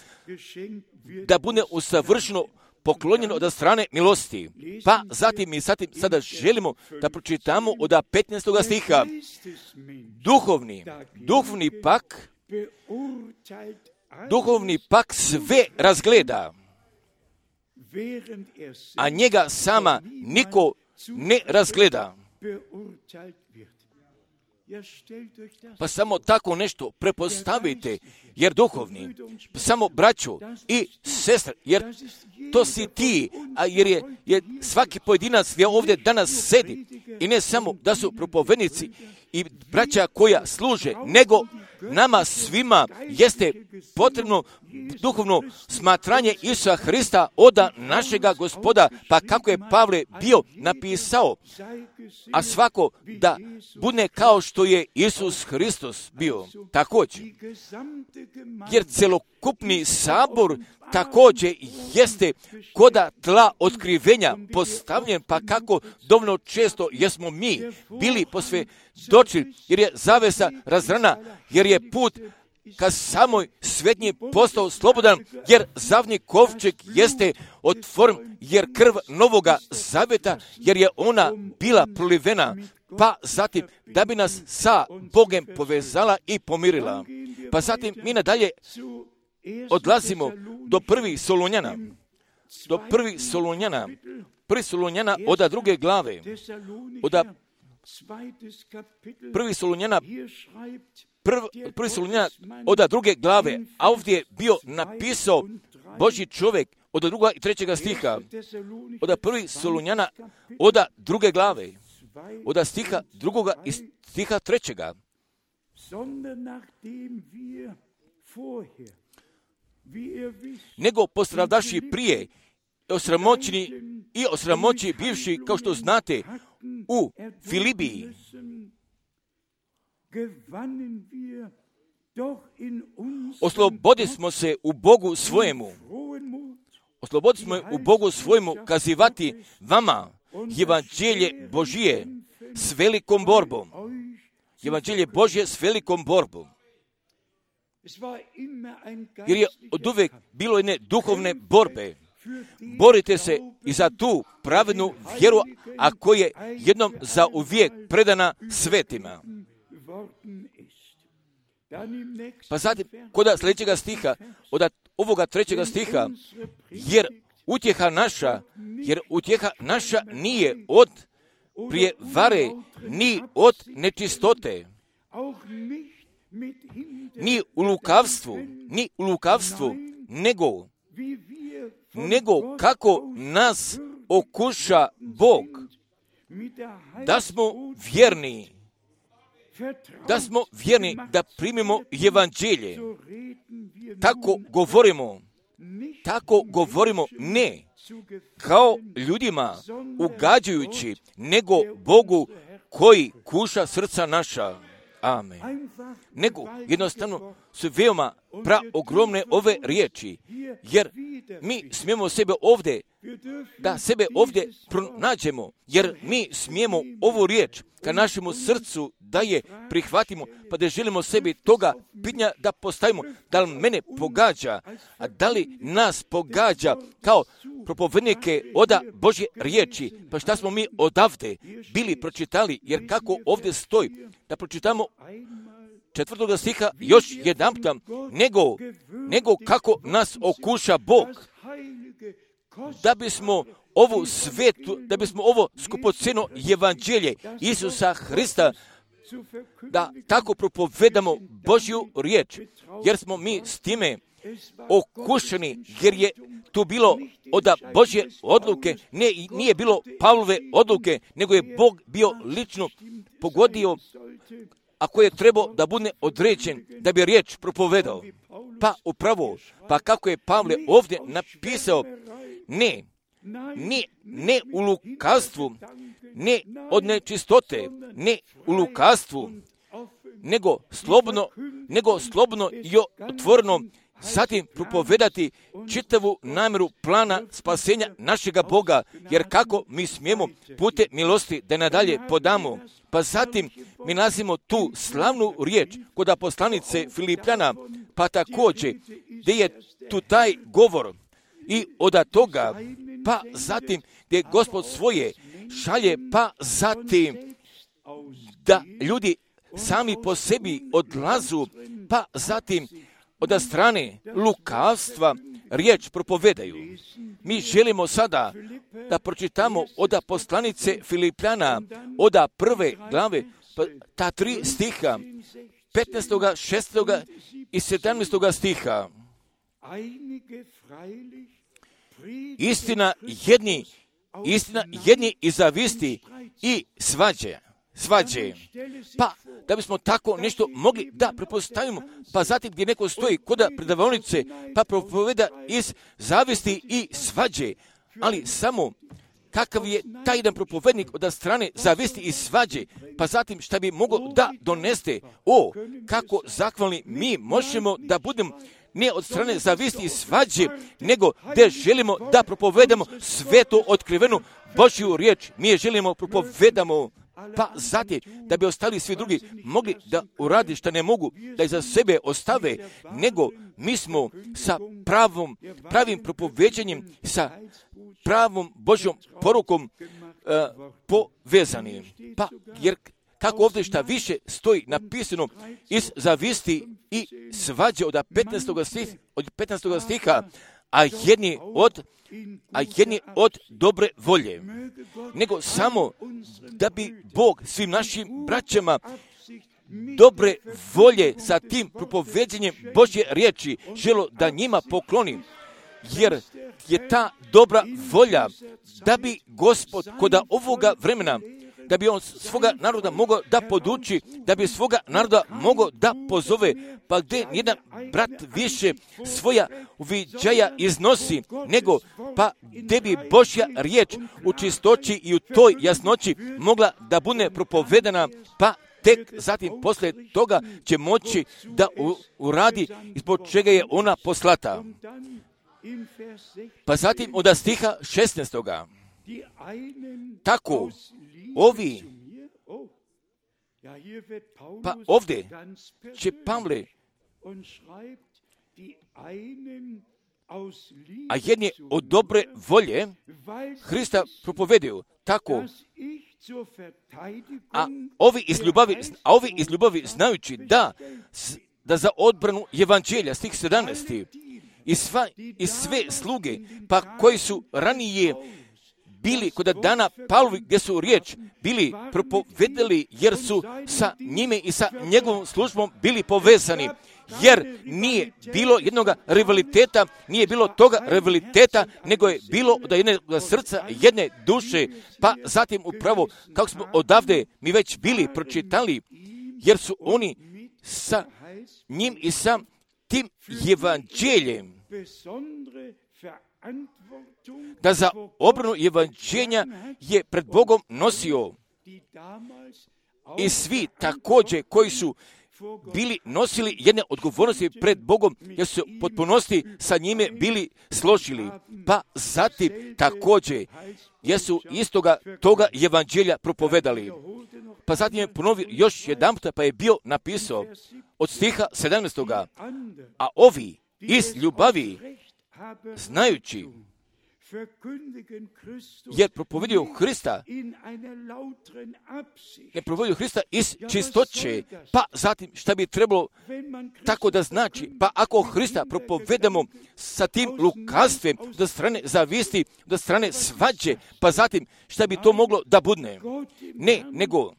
[SPEAKER 1] da bude usavršeno poklonjeno od strane milosti. Pa zatim mi sada želimo da pročitamo od 15. stiha. Duhovni pak sve razgleda, a njega sama niko ne razgleda. Pa samo tako nešto prepostavite, jer duhovni, samo braćo i sestre, jer to si ti, a jer je svaki pojedinac gdje ovdje danas sedi, i ne samo da su propovednici i braća koja služe, nego nama svima jeste potrebno duhovno smatranje Isusa Hrista od našega Gospoda, pa kako je Pavle bio napisao, a svako da bude kao što je Isus Hristos bio također. Jer celokupni sabor također jeste koda tla otkrivenja postavljen, pa kako dovoljno često jesmo mi bili posvjedočili, jer je zavesa razrana, jer je put ka samoj svetnji postao slobodan, jer zavni kovčeg jeste otvoren, jer krv novoga zaveta, jer je ona bila prolivena, pa zatim da bi nas sa Bogem povezala i pomirila. Pa zatim mi nadalje odlazimo do prvih Solunjana. Prvi Solunjana od 2. glave. Prvi Solunjana od 2. glave, a ovdje je bio napisao Božji čovjek od 2. i 3. stiha. Od prvi Solunjana od 2. glave, od stiha 2. i stiha 3. Nego postradavši prije osramoćeni bivši, kao što znate, u Filibiji, oslobodili smo se u Bogu svojemu kazivati vama evanđelje Božije s velikom borbom. Evanđelje Božje s velikom borbom. Jer je od uvijek bilo jedne duhovne borbe. Borite se i za tu pravednu vjeru, a koja je jednom za uvijek predana svetima. Pa zatim, kod sljedećega stiha, od ovoga 3. stiha, jer utjeha naša nije od prijevare, ni od nečistote, ni u lukavstvu, nego kako nas okuša Bog, da smo vjerni da primimo evanđelje. Tako govorimo ne kao ljudima ugađajući, nego Bogu koji kuša srca naša. Amen. Nego jednostavno su veoma ogromne ove riječi, jer mi smijemo sebe ovdje pronađemo, jer mi smijemo ovu riječ ka našemu srcu da je prihvatimo, pa da želimo sebi toga pitanja da postavimo, da li mene pogađa, a da li nas pogađa kao propovednike od Božje riječi. Pa šta smo mi odavde bili pročitali, jer kako ovdje stoji, da pročitamo 4. stiha još jedanputa, nego kako nas okuša Bog, da bismo ovo skupocjeno evanđelje Isusa Hrista, da tako propovedamo Božju riječ, jer smo mi s time okušani, jer je tu bilo od Božje odluke, nije bilo Pavlove odluke, nego je Bog bio lično pogodio, ako je trebao da bude određen da bi riječ propovedao. Pa upravo, pa kako je Pavle ovdje napisao, ne u lukavstvu, ne od nečistote, ne u lukavstvu, nego slobodno i otvoreno zatim propovedati čitavu namjeru plana spasenja našega Boga, jer kako mi smijemo putem milosti da nadalje podamo. Pa zatim mi nalazimo tu slavnu riječ kod poslanice Filipljana, pa također gdje je tu taj govor, i od toga, pa zatim gdje Gospod svoje šalje, pa zatim da ljudi sami po sebi odlazu, pa zatim od strane lukavstva riječ propovedaju. Mi želimo sada da pročitamo od poslanice Filipljana, od prve glave, ta 3 stiha, 15., 16. i 17. stiha. Istina jedni i zavisti i svađe. Pa, da bismo tako nešto mogli da prepostavimo, pa zatim gdje neko stoji kod predavaonice, pa propoveda iz zavisti i svađe, ali samo kakav je taj jedan propovednik od strane zavisti i svađe, pa zatim šta bi mogao da doneste, kako zahvalni mi možemo da budemo ne od strane zavisti i svađe, nego gdje želimo da propovedamo svetu otkrivenu Božju riječ. Mi je želimo propovedamo, pa zatim da bi ostali svi drugi mogli da uradi što ne mogu, da iza sebe ostave, nego mi smo sa pravim propoveđenjem, sa pravom Božjom porukom povezani. Pa jer kako ovdje šta više stoji napisano iz zavisti i svađe od 15. stiha, a jedni od dobre volje, nego samo da bi Bog svim našim braćama dobre volje sa tim propoveđenjem Božje riječi želo da njima pokloni, jer je ta dobra volja da bi Gospod kod ovoga vremena, da bi on svoga naroda mogao da poduči, da bi svoga naroda mogao da pozove, pa gdje jedan brat više svoja uviđaja iznosi, nego pa gdje bi Božja riječ u čistoći i u toj jasnoći mogla da bude propovedana, pa tek zatim poslije toga će moći da uradi ispod čega je ona poslata. Pa zatim od stiha 16. Tako, ovi, pa ovdje će Pavle, a jedni od dobre volje Hrista propovedaju, tako, a ovi iz ljubavi znajući da za odbranu evanđelja, stih 17. I sve sluge, pa koji su ranije bili kod dana Pavlovi, gdje su riječ bili propovedali, jer su sa njime i sa njegovom službom bili povezani, jer nije bilo jednog rivaliteta, nije bilo toga rivaliteta, nego je bilo od jednog srca, jedne duše, pa zatim upravo, kako smo odavde mi već bili pročitali, jer su oni sa njim i sa tim evanđeljem, da za obranu evanđelja je pred Bogom nosio i svi također koji su bili nosili jedne odgovornosti pred Bogom, jer su potpunosti sa njime bili složili, pa zatim također jesu istoga toga evanđelja propovedali. Pa zatim je ponovio još jedan puta, pa je bio napisao od stiha 17. A ovi iz ljubavi znajući, jer propovedio Hrista, ne propovedio Hrista iz čistoće, pa zatim šta bi trebalo tako da znači, pa ako Hrista propovedamo sa tim lukavstvem do strane zavisti, do strane svađe, pa zatim šta bi to moglo da budne? Ne, nego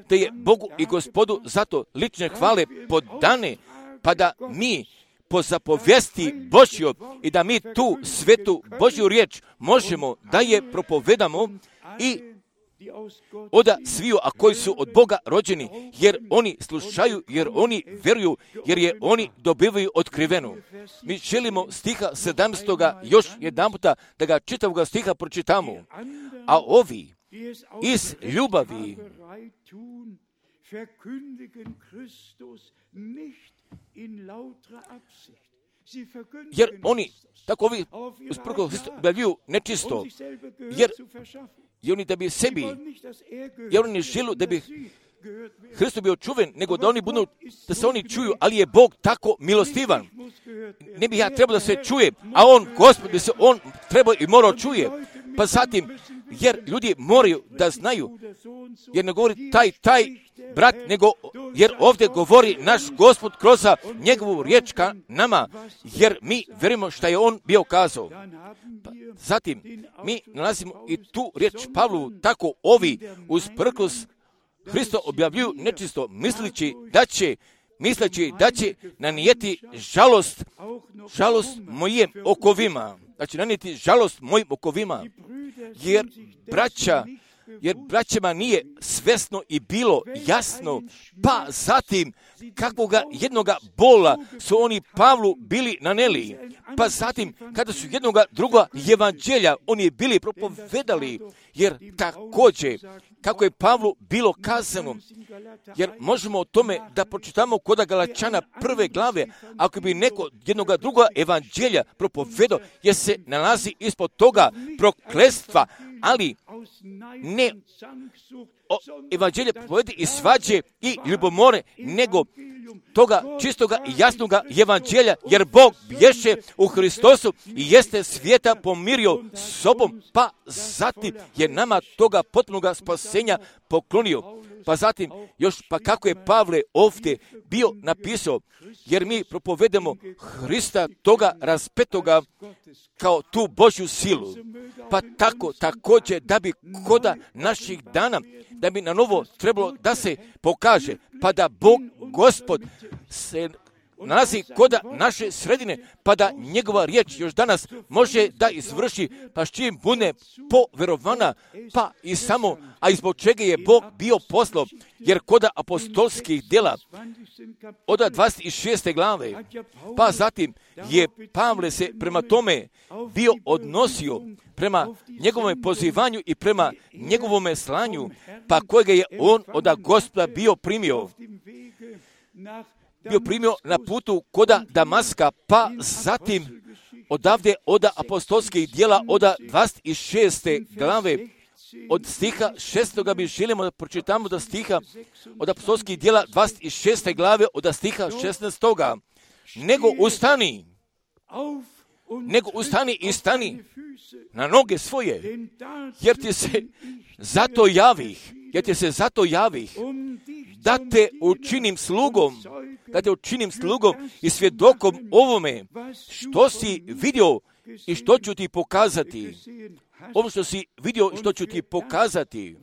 [SPEAKER 1] da je Bogu i Gospodu zato lične hvale podane, pa da mi po zapovijesti Božjoj i da mi tu svetu Božju riječ možemo da je propovedamo i od sviju, a koji su od Boga rođeni, jer oni slušaju, jer oni vjeruju, jer je oni dobivaju otkrivenu. Mi želimo stiha 17. još jedan puta da ga čitavoga stiha pročitamo. A ovi iz ljubavi jer oni, tako ovi usprkos Hristu objavljuju nečisto, jer oni da bi sebi, jer oni žele Hristos bio čuven, nego da oni budu, da se oni čuju, ali je Bog tako milostivan. Ne bi ja trebao da se čuje, a on, Gospod, bi se on trebao i morao čuje. Pa zatim, jer ljudi moraju da znaju, jer ne govori taj brat, nego jer ovdje govori naš Gospod kroz njegovu riječ ka nama, jer mi verujemo što je on bio kazao. Pa zatim, mi nalazimo i tu riječ Pavlu, tako ovi usprkos Hristo objavljuju nečisto, misleći da će nanijeti žalost mojim okovima. Znači, nanijeti žalost mojim okovima, jer braćama nije svesno i bilo jasno, pa zatim kakvoga jednoga bola su oni Pavlu bili naneli, pa zatim kada su jednoga druga evanđelja oni bili propovedali, jer također kako je Pavlu bilo kazano, jer možemo o tome da pročitamo kod Galačana 1. glave, ako bi neko jednoga druga evanđelja propovedao, jer se nalazi ispod toga prokletstva, ali ne evanđelje propovedi i svađe i ljubomore, nego toga čistoga i jasnoga evanđelja, jer Bog bješe u Hristosu i jeste svijeta pomirio s sobom, pa zatim je nama toga potpunoga spasenja poklonio. Pa zatim još, pa kako je Pavle ovdje bio napisao, jer mi propovedemo Hrista toga raspetoga kao tu Božju silu. Pa tako također da bi koda naših dana, da bi na novo trebalo da se pokaže, pa da Bog Gospod se nalazi koda naše sredine, pa da njegova riječ još danas može da izvrši, pa s čim bude poverovana, pa i samo, a i zbog čega je Bog bio poslao, jer koda apostolskih djela od 26. glave, pa zatim je Pavle se prema tome bio odnosio prema njegovom pozivanju i prema njegovom slanju, pa kojega je on od Gospoda bio primio na putu koda Damaska, pa zatim odavde od apostolskih djela od 26. glave, od stiha 6. mi želimo da pročitamo da stiha od apostolskih djela 26. glave od stiha 16. Nego ustani i stani na noge svoje, jer ti se zato javih, da te učinim slugom i svjedokom ovome što si vidio i što ću ti pokazati. Ovo što si vidio i što ću ti pokazati.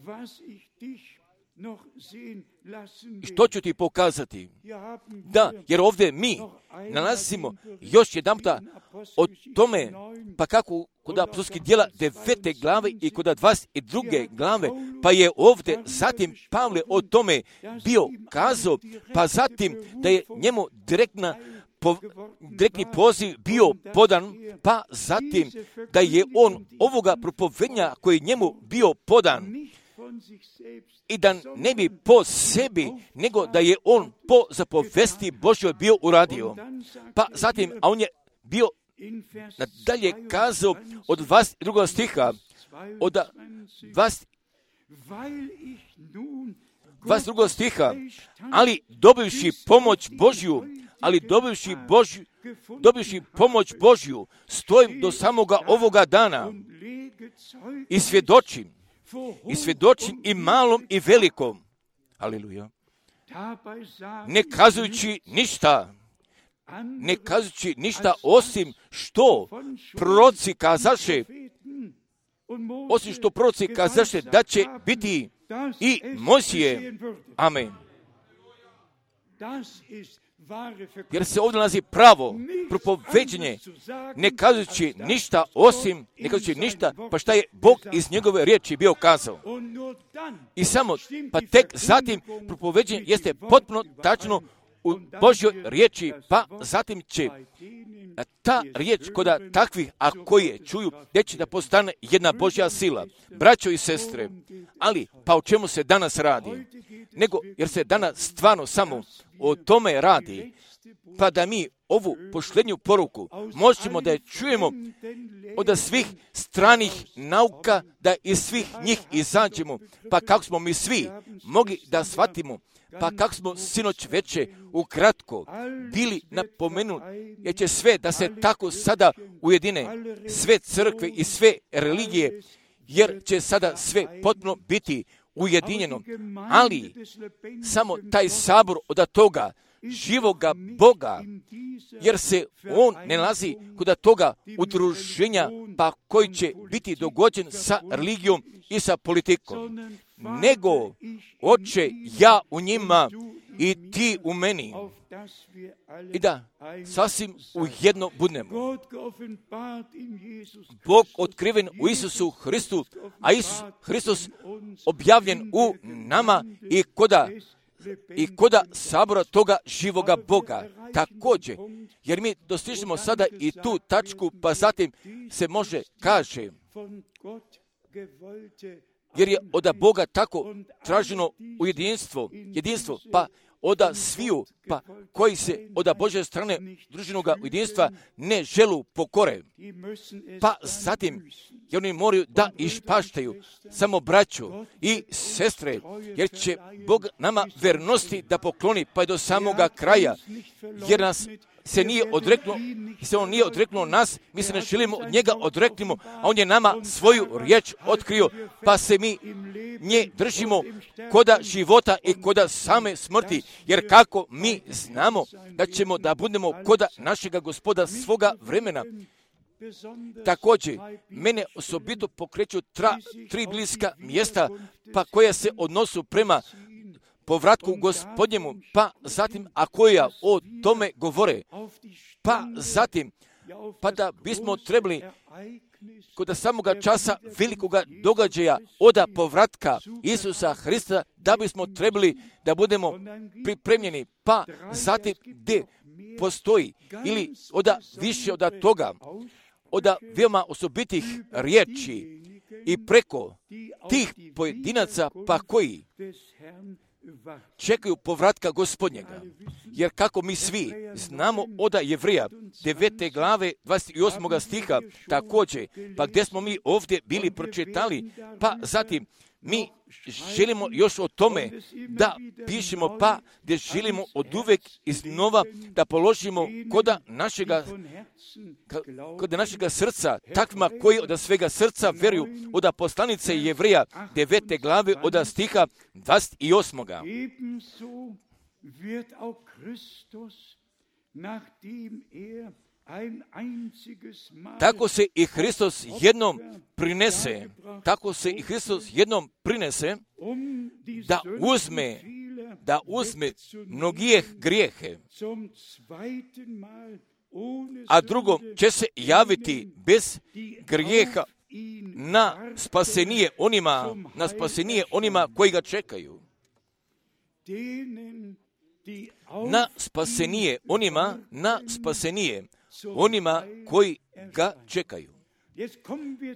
[SPEAKER 1] I što ću ti pokazati? Da, jer ovdje mi nalazimo još jedanputa o tome, pa kako kod apostolskih djela 9. glave i kod 22. glave, pa je ovdje zatim Pavle o tome bio kazao, pa zatim da je njemu direktni poziv bio podan, pa zatim da je on ovoga propovednja koji je njemu bio podan, i da ne bi po sebi, nego da je on po zapovesti Božjoj bio uradio. Pa zatim, a on je bio nadalje kazao od 22. stiha, od 22. stiha, ali dobivši pomoć Božju, stojim do samoga ovoga dana i svjedočim i malom i velikom. Aleluja. Ne kazujući ništa osim što proroci kazaše da će biti i Mojsije. Amen. Jer se ovdje nalazi pravo propoveđenje, ne kazujući ništa, pa šta je Bog iz njegove riječi bio kazao. I samo, pa tek zatim propoveđenje jeste potpuno tačno u Božjoj riječi, pa zatim će ta riječ koda takvih, a koji je čuju, gdje će da postane jedna Božja sila. Braćo i sestre, ali pa o čemu se danas radi? Nego, jer se danas stvarno samo o tome radi, pa da mi ovu posljednju poruku možemo da je čujemo od svih stranih nauka, da iz svih njih izađemo, pa kako smo mi svi mogli da shvatimo, pa kako smo sinoć veče ukratko bili napomenuti, jer će sve da se tako sada ujedine, sve crkve i sve religije, jer će sada sve potpuno biti ujedinjeno, ali samo taj sabor od toga živoga Boga, jer se on ne nalazi kod toga udruženja, pa koji će biti dogođen sa religijom i sa politikom, nego Oče, ja u njima i ti u meni, i da sasvim ujedno budemo. Bog otkriven u Isusu Hristu, a Isus Hristos objavljen u nama i koda sabora toga živoga Boga. Također, jer mi dostižemo sada i tu tačku, pa zatim se može kaže, jer je od Boga tako traženo jedinstvo, pa od sviju, pa koji se od Božje strane družinoga jedinstva ne želu pokore. Pa zatim, jer oni moraju da išpaštaju samo braću i sestre, jer će Bog nama vernosti da pokloni, pa i do samoga kraja, jer nas se on nije odreknuo nas, mi se ne želimo od njega odreknimo, a on je nama svoju riječ otkrio, pa se mi nje držimo koda života i koda same smrti, jer kako mi znamo da ćemo da budemo koda našega Gospoda svoga vremena. Također, mene osobito pokreću tri bliska mjesta, pa koja se odnosu prema povratku Gospodnjemu, pa zatim, a koja o tome govore, pa zatim, pa da bismo trebali kod samoga časa velikoga događaja od povratka Isusa Hrista, da bismo trebali da budemo pripremljeni, pa zatim gdje postoji ili više od toga, od veoma osobitih riječi i preko tih pojedinaca, pa koji čekaju povratka Gospodnjega. Jer kako mi svi znamo od Jevreja 9. glave 28. stiha također, pa gdje smo mi ovdje bili pročitali, pa zatim mi želimo još o tome da pišemo, pa gdje želimo od uvek iznova da položimo kod našega srca, takvima koji od svega srca veruju, od poslanice Jevreja 9. glave od stiha 28. Tako se i Hristos jednom prinese, da uzme mnogih grijehe, a drugom će se javiti bez grijeha na spasenije onima koji ga čekaju. Na spasenije onima koji ga čekaju.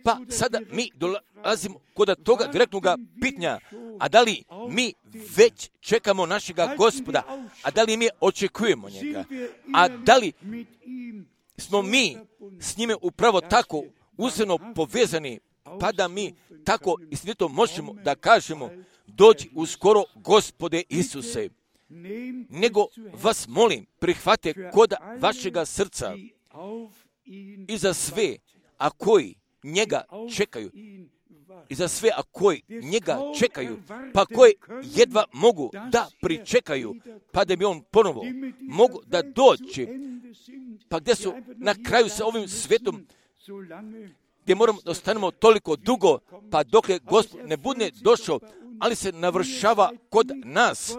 [SPEAKER 1] Pa sada mi dolazimo kod toga direktnog pitanja, a da li mi već čekamo našega Gospoda, a da li mi očekujemo njega, a da li smo mi s njime upravo tako uzemno povezani, pa da mi tako istinito možemo da kažemo, dođi uskoro Gospode Isuse. Nego vas molim, prihvate kod vašega srca i za sve, a koji njega čekaju, pa koji jedva mogu da pričekaju, pa da bi on ponovo mogu da dođe, pa gdje su na kraju sa ovim svetom, gdje moramo da ostanemo toliko dugo, pa dokle Gospod ne bude došao, ali se navršava kod nas,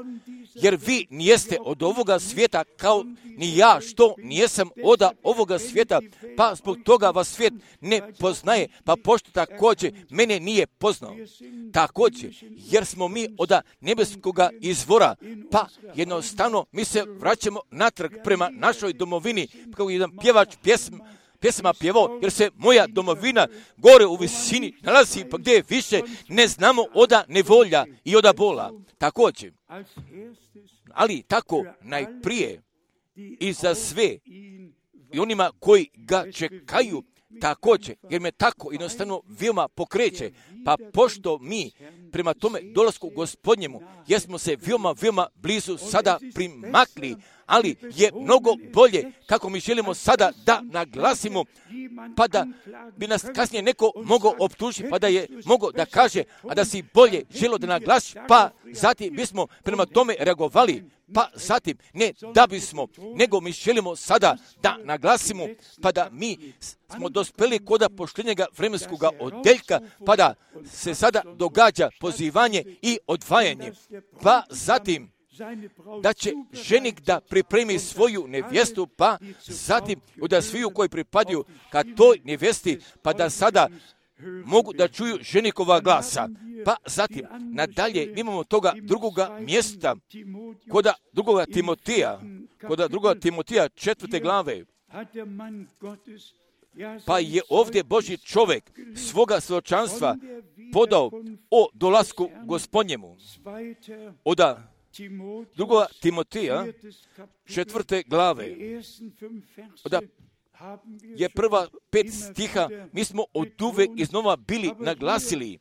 [SPEAKER 1] jer vi nijeste od ovoga svijeta, kao ni ja što nijesam od ovoga svijeta, pa zbog toga vas svijet ne poznaje, pa pošto također mene nije poznao. Također, jer smo mi od nebeskoga izvora, pa jednostavno mi se vraćamo natrag prema našoj domovini, kao jedan pjevač pjesma pjevao, jer se moja domovina gore u visini nalazi, pa gdje više ne znamo od nevolja i od bola. Također, ali tako najprije i za sve i onima koji ga čekaju također, jer me tako jednostavno veoma pokreće. Pa pošto mi prema tome dolasku Gospodnjemu, jesmo se veoma blizu sada primakli, ali je mnogo bolje kako mi želimo sada da naglasimo, pa da bi nas kasnije neko mogao optužiti, pa da je mogao da kaže, a da si bolje želio da naglasiš, pa zatim bismo prema tome reagovali, pa zatim ne da bismo, nego mi želimo sada da naglasimo, pa da mi smo dospeli kod poštenjega vremenskog odeljka, pa da se sada događa pozivanje i odvajanje, pa zatim da će ženik da pripremi svoju nevjestu, pa zatim da sviju koji pripadaju ka toj nevjesti, pa da sada mogu da čuju ženikova glasa. Pa zatim, nadalje, imamo toga drugoga mjesta, kod drugoga Timotija 4. glave, pa je ovdje Božji čovjek svoga svjedočanstva podao o dolasku Gospodnjemu. Od drugoga Timotija 4. glave, od je prva 5 stiha, mi smo od uvek iznova bili naglasili,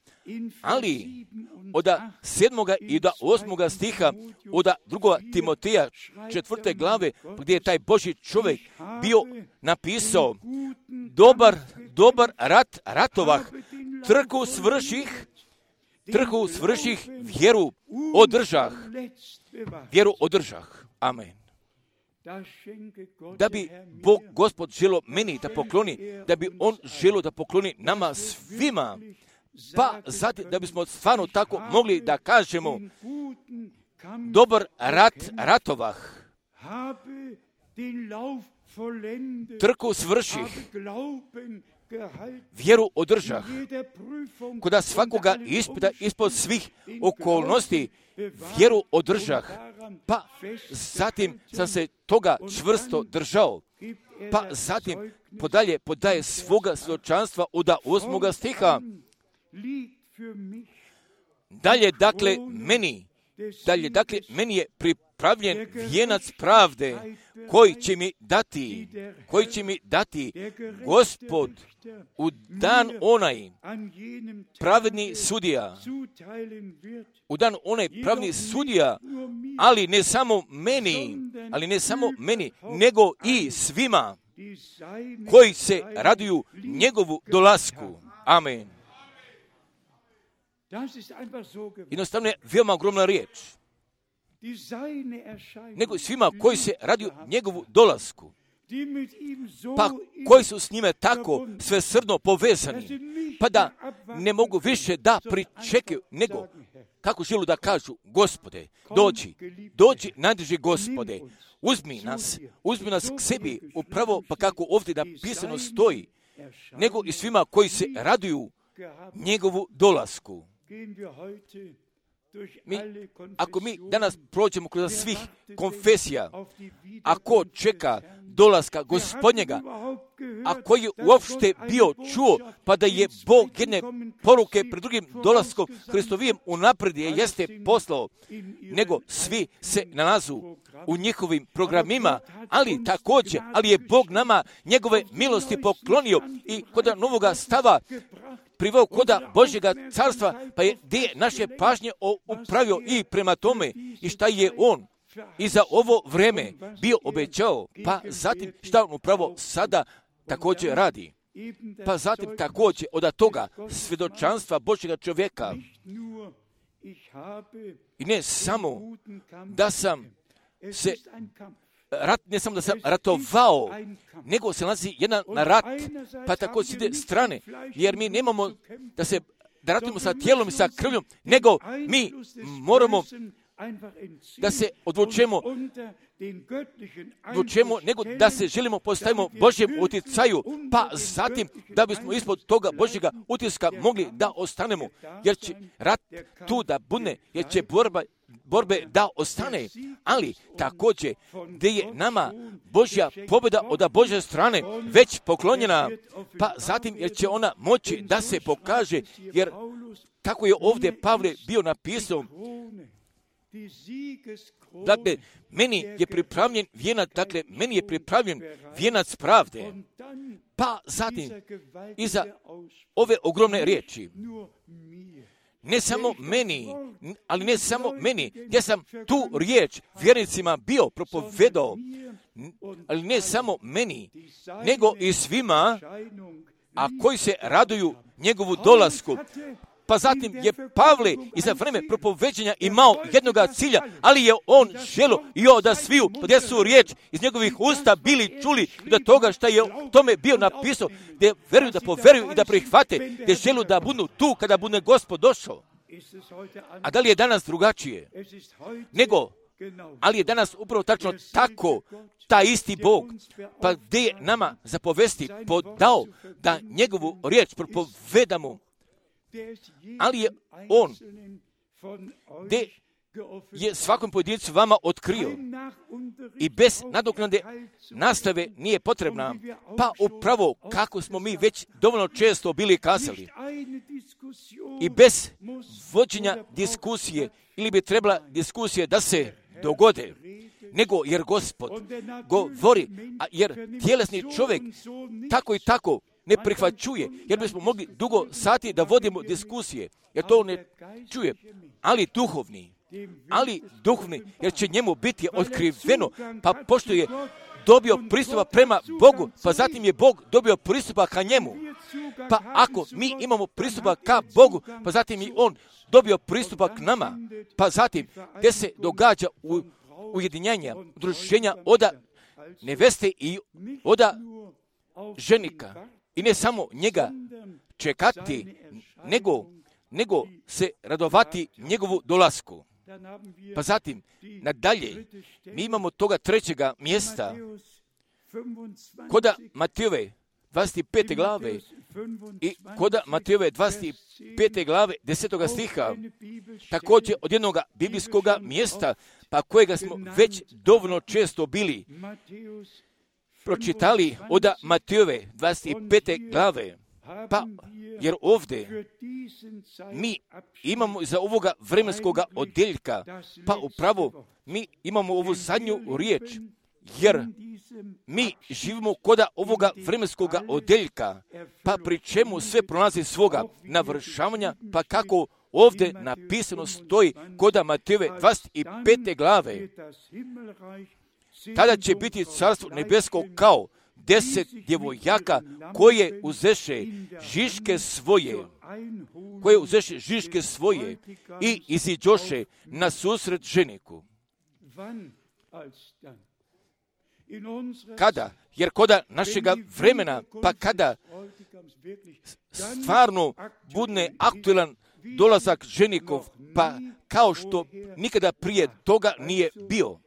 [SPEAKER 1] ali od 7. i do 8. stiha od drugoga Timotija 4. glave, gdje je taj Božji čovjek bio napisao, dobar rat ratovah, trku svrših, vjeru održah. Amen. Da bi Bog Gospod želio meni da pokloni, da bi On želio da pokloni nama svima, pa zatim da bismo stvarno tako mogli da kažemo, dobar ratovah, trku svrših, vjeru održah, kod svakoga ispita ispod svih okolnosti, vjeru održah, pa zatim sam se toga čvrsto držao, pa zatim podaje svoga svjedočanstva od 8. stiha. Dalje, dakle, meni je pripravljen vijenac pravde koji će mi dati Gospod u dan onaj pravedni sudija, ali ne samo meni, nego i svima koji se raduju njegovu dolasku. Amen. Jednostavno je veoma ogromna riječ. Nego svima koji se raduju njegovu dolasku, pa koji su s njime tako svesrdno povezani, pa da ne mogu više da pričekaju, nego kako želu da kažu, Gospode, dođi najdrži Gospode, uzmi nas k sebi, upravo pa kako ovdje napisano stoji, nego i svima koji se raduju njegovu dolasku. Ako mi danas prođemo kroz svih konfesija, ako čeka dolaska Gospodnjega, a koji je uopšte bio čuo, pa da je Bog jedne poruke pred drugim dolaskom Hristovijem unaprijed jeste poslao, nego svi se nalazu u njihovim programima, ali je Bog nama njegove milosti poklonio i kod novoga stava priveo koda Božjega carstva, pa je gdje naše pažnje upravio i prema tome i šta je on i za ovo vreme bio obećao, pa zatim šta on upravo sada također radi. Pa zatim također od toga svjedočanstva Božjega čovjeka i ne samo da sam se ratovao, nego se nalazi jedan rat, pa tako s jedne strane, jer mi nemamo da ratujemo sa tijelom i sa krvljom, nego mi moramo da se odlučemo, nego da se želimo postavimo Božjem utjecaju, pa zatim da bismo ispod toga Božjega utjeska mogli da ostanemo, jer će rat tu da bude, jer će borbe da ostane, ali također gdje je nama Božja pobjeda od Božje strane već poklonjena, pa zatim jer će ona moći da se pokaže, jer tako je ovdje Pavle bio napisao, Dakle, meni je pripravljen vijenac pravde. Pa zatim, iza ove ogromne riječi, ne samo meni, ja sam tu riječ vjernicima bio propovedao, ali ne samo meni, nego i svima, a koji se raduju njegovu dolasku. Pa zatim je Pavle i za vreme propoveđenja imao jednoga cilja, ali je on želio da sviju podnesu riječ iz njegovih usta bili čuli do toga što je tome bio napisao, da veruju, da poveruju i da prihvate, da želu da budu tu kada bude Gospod došao. A da li je danas drugačije? Ali je danas upravo tačno tako, taj isti Bog, pa gdje je nama zapovesti podao da njegovu riječ propovedamo, ali je on gdje je svakom pojedincu vama otkrio i bez nadoknade nastave nije potrebna, pa upravo kako smo mi već dovoljno često bili kazali, i bez vođenja diskusije, ili bi trebala diskusije da se dogode, nego jer Gospod govori, a jer tjelesni čovjek tako i tako ne prihvaćuje, jer bismo mogli dugo sati da vodimo diskusije, jer to ne čuje, ali duhovni, jer će njemu biti otkriveno, pa pošto je dobio pristupa prema Bogu, pa zatim je Bog dobio pristupa ka njemu. Pa ako mi imamo pristupa ka Bogu, pa zatim i on dobio pristupa k nama, pa zatim gdje se događa ujedinjanja, udruženja oda neveste i oda ženika. I ne samo njega čekati, nego se radovati njegovu dolasku. Pa zatim, nadalje, mi imamo toga trećega mjesta, koda Matejove 25. glave i koda Matejove 25. glave 10. stiha, također od jednog biblijskog mjesta, pa kojega smo već dovoljno često bili pročitali od Matejove 25. glave. Pa, jer ovdje mi imamo za ovoga vremenskoga odjeljka, pa upravo mi imamo ovu zadnju riječ, jer mi živimo koda ovoga vremenskoga odjeljka, pa pri čemu sve prolazi svoga navršavanja, pa kako ovdje napisano stoji koda Matejove 25. glave, tada će biti carstvo nebesko kao 10 djevojaka koje uzeše žiške svoje i iziđoše na susret ženiku. Kada? Jer koda našega vremena, pa kada stvarno bude aktualan dolazak ženikov, pa kao što nikada prije toga nije bio.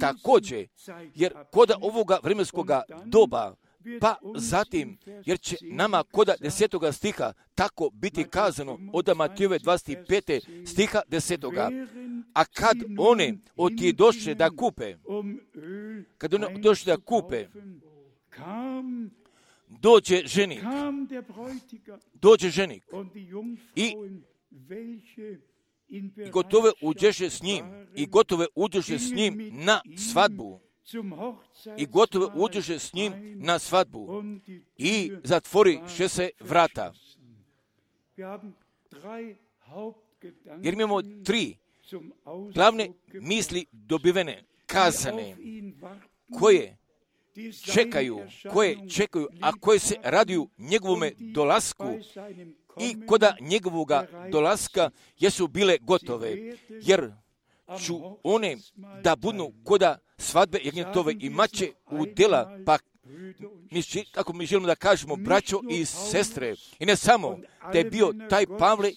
[SPEAKER 1] Također, jer koda ovoga vremenskoga doba, pa zatim, jer će nama koda 10. stiha tako biti kazano od Matejove 25. stiha 10. A kad one otidoše da kupe, dođe ženik i gotove uđeše s njim na svadbu i zatvoriše se vrata. Jer imamo 3 glavne misli dobivene, kazane, koje čekaju, a koje se raduju njegovome dolasku i koda njegovoga dolaska jesu bile gotove, jer ću one da budu koda svadbe jagnjetove i mače udjela, pa kako mi želimo da kažemo, braćo i sestre, i ne samo da je bio taj Pavle,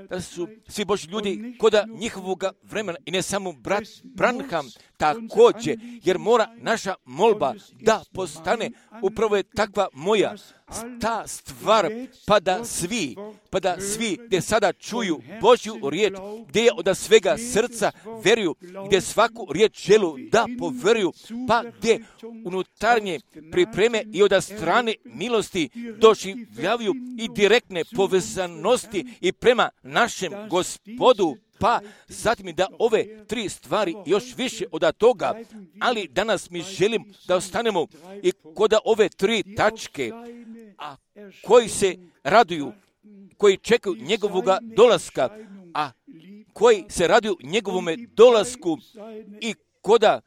[SPEAKER 1] da su svi Božji ljudi koda njihovoga vremena, i ne samo brat Branham, također, jer mora naša molba da postane, upravo je takva moja ta stvar, pa da svi gdje sada čuju Božju riječ, gdje je od svega srca veruju, gdje svaku riječ želu da poveruju, pa gdje unutarnje pripreme i od strane milosti doživljavaju i direktne povezanosti i prema našem Gospodu, pa zatim da ove 3 stvari još više od toga, ali danas mi želim da ostanemo i kod ove 3 tačke, a koji se raduju, koji čekaju njegovoga dolaska, a koji se raduju njegovome dolasku i koda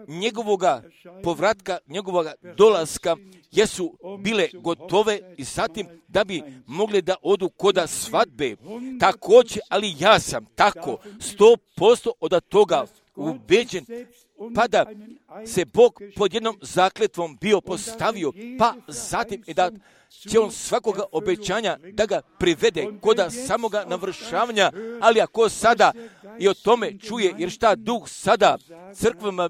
[SPEAKER 1] njegovoga povratka, njegovoga dolaska, jesu bile gotove i zatim da bi mogli da odu koda svadbe. Također, ali ja sam tako 100% od toga ubeđen, pa da se Bog pod jednom zakletvom bio postavio, pa zatim i da će on svakoga obećanja da ga privede koda samoga navršavanja, ali ako sada i o tome čuje, jer šta Duh sada crkvama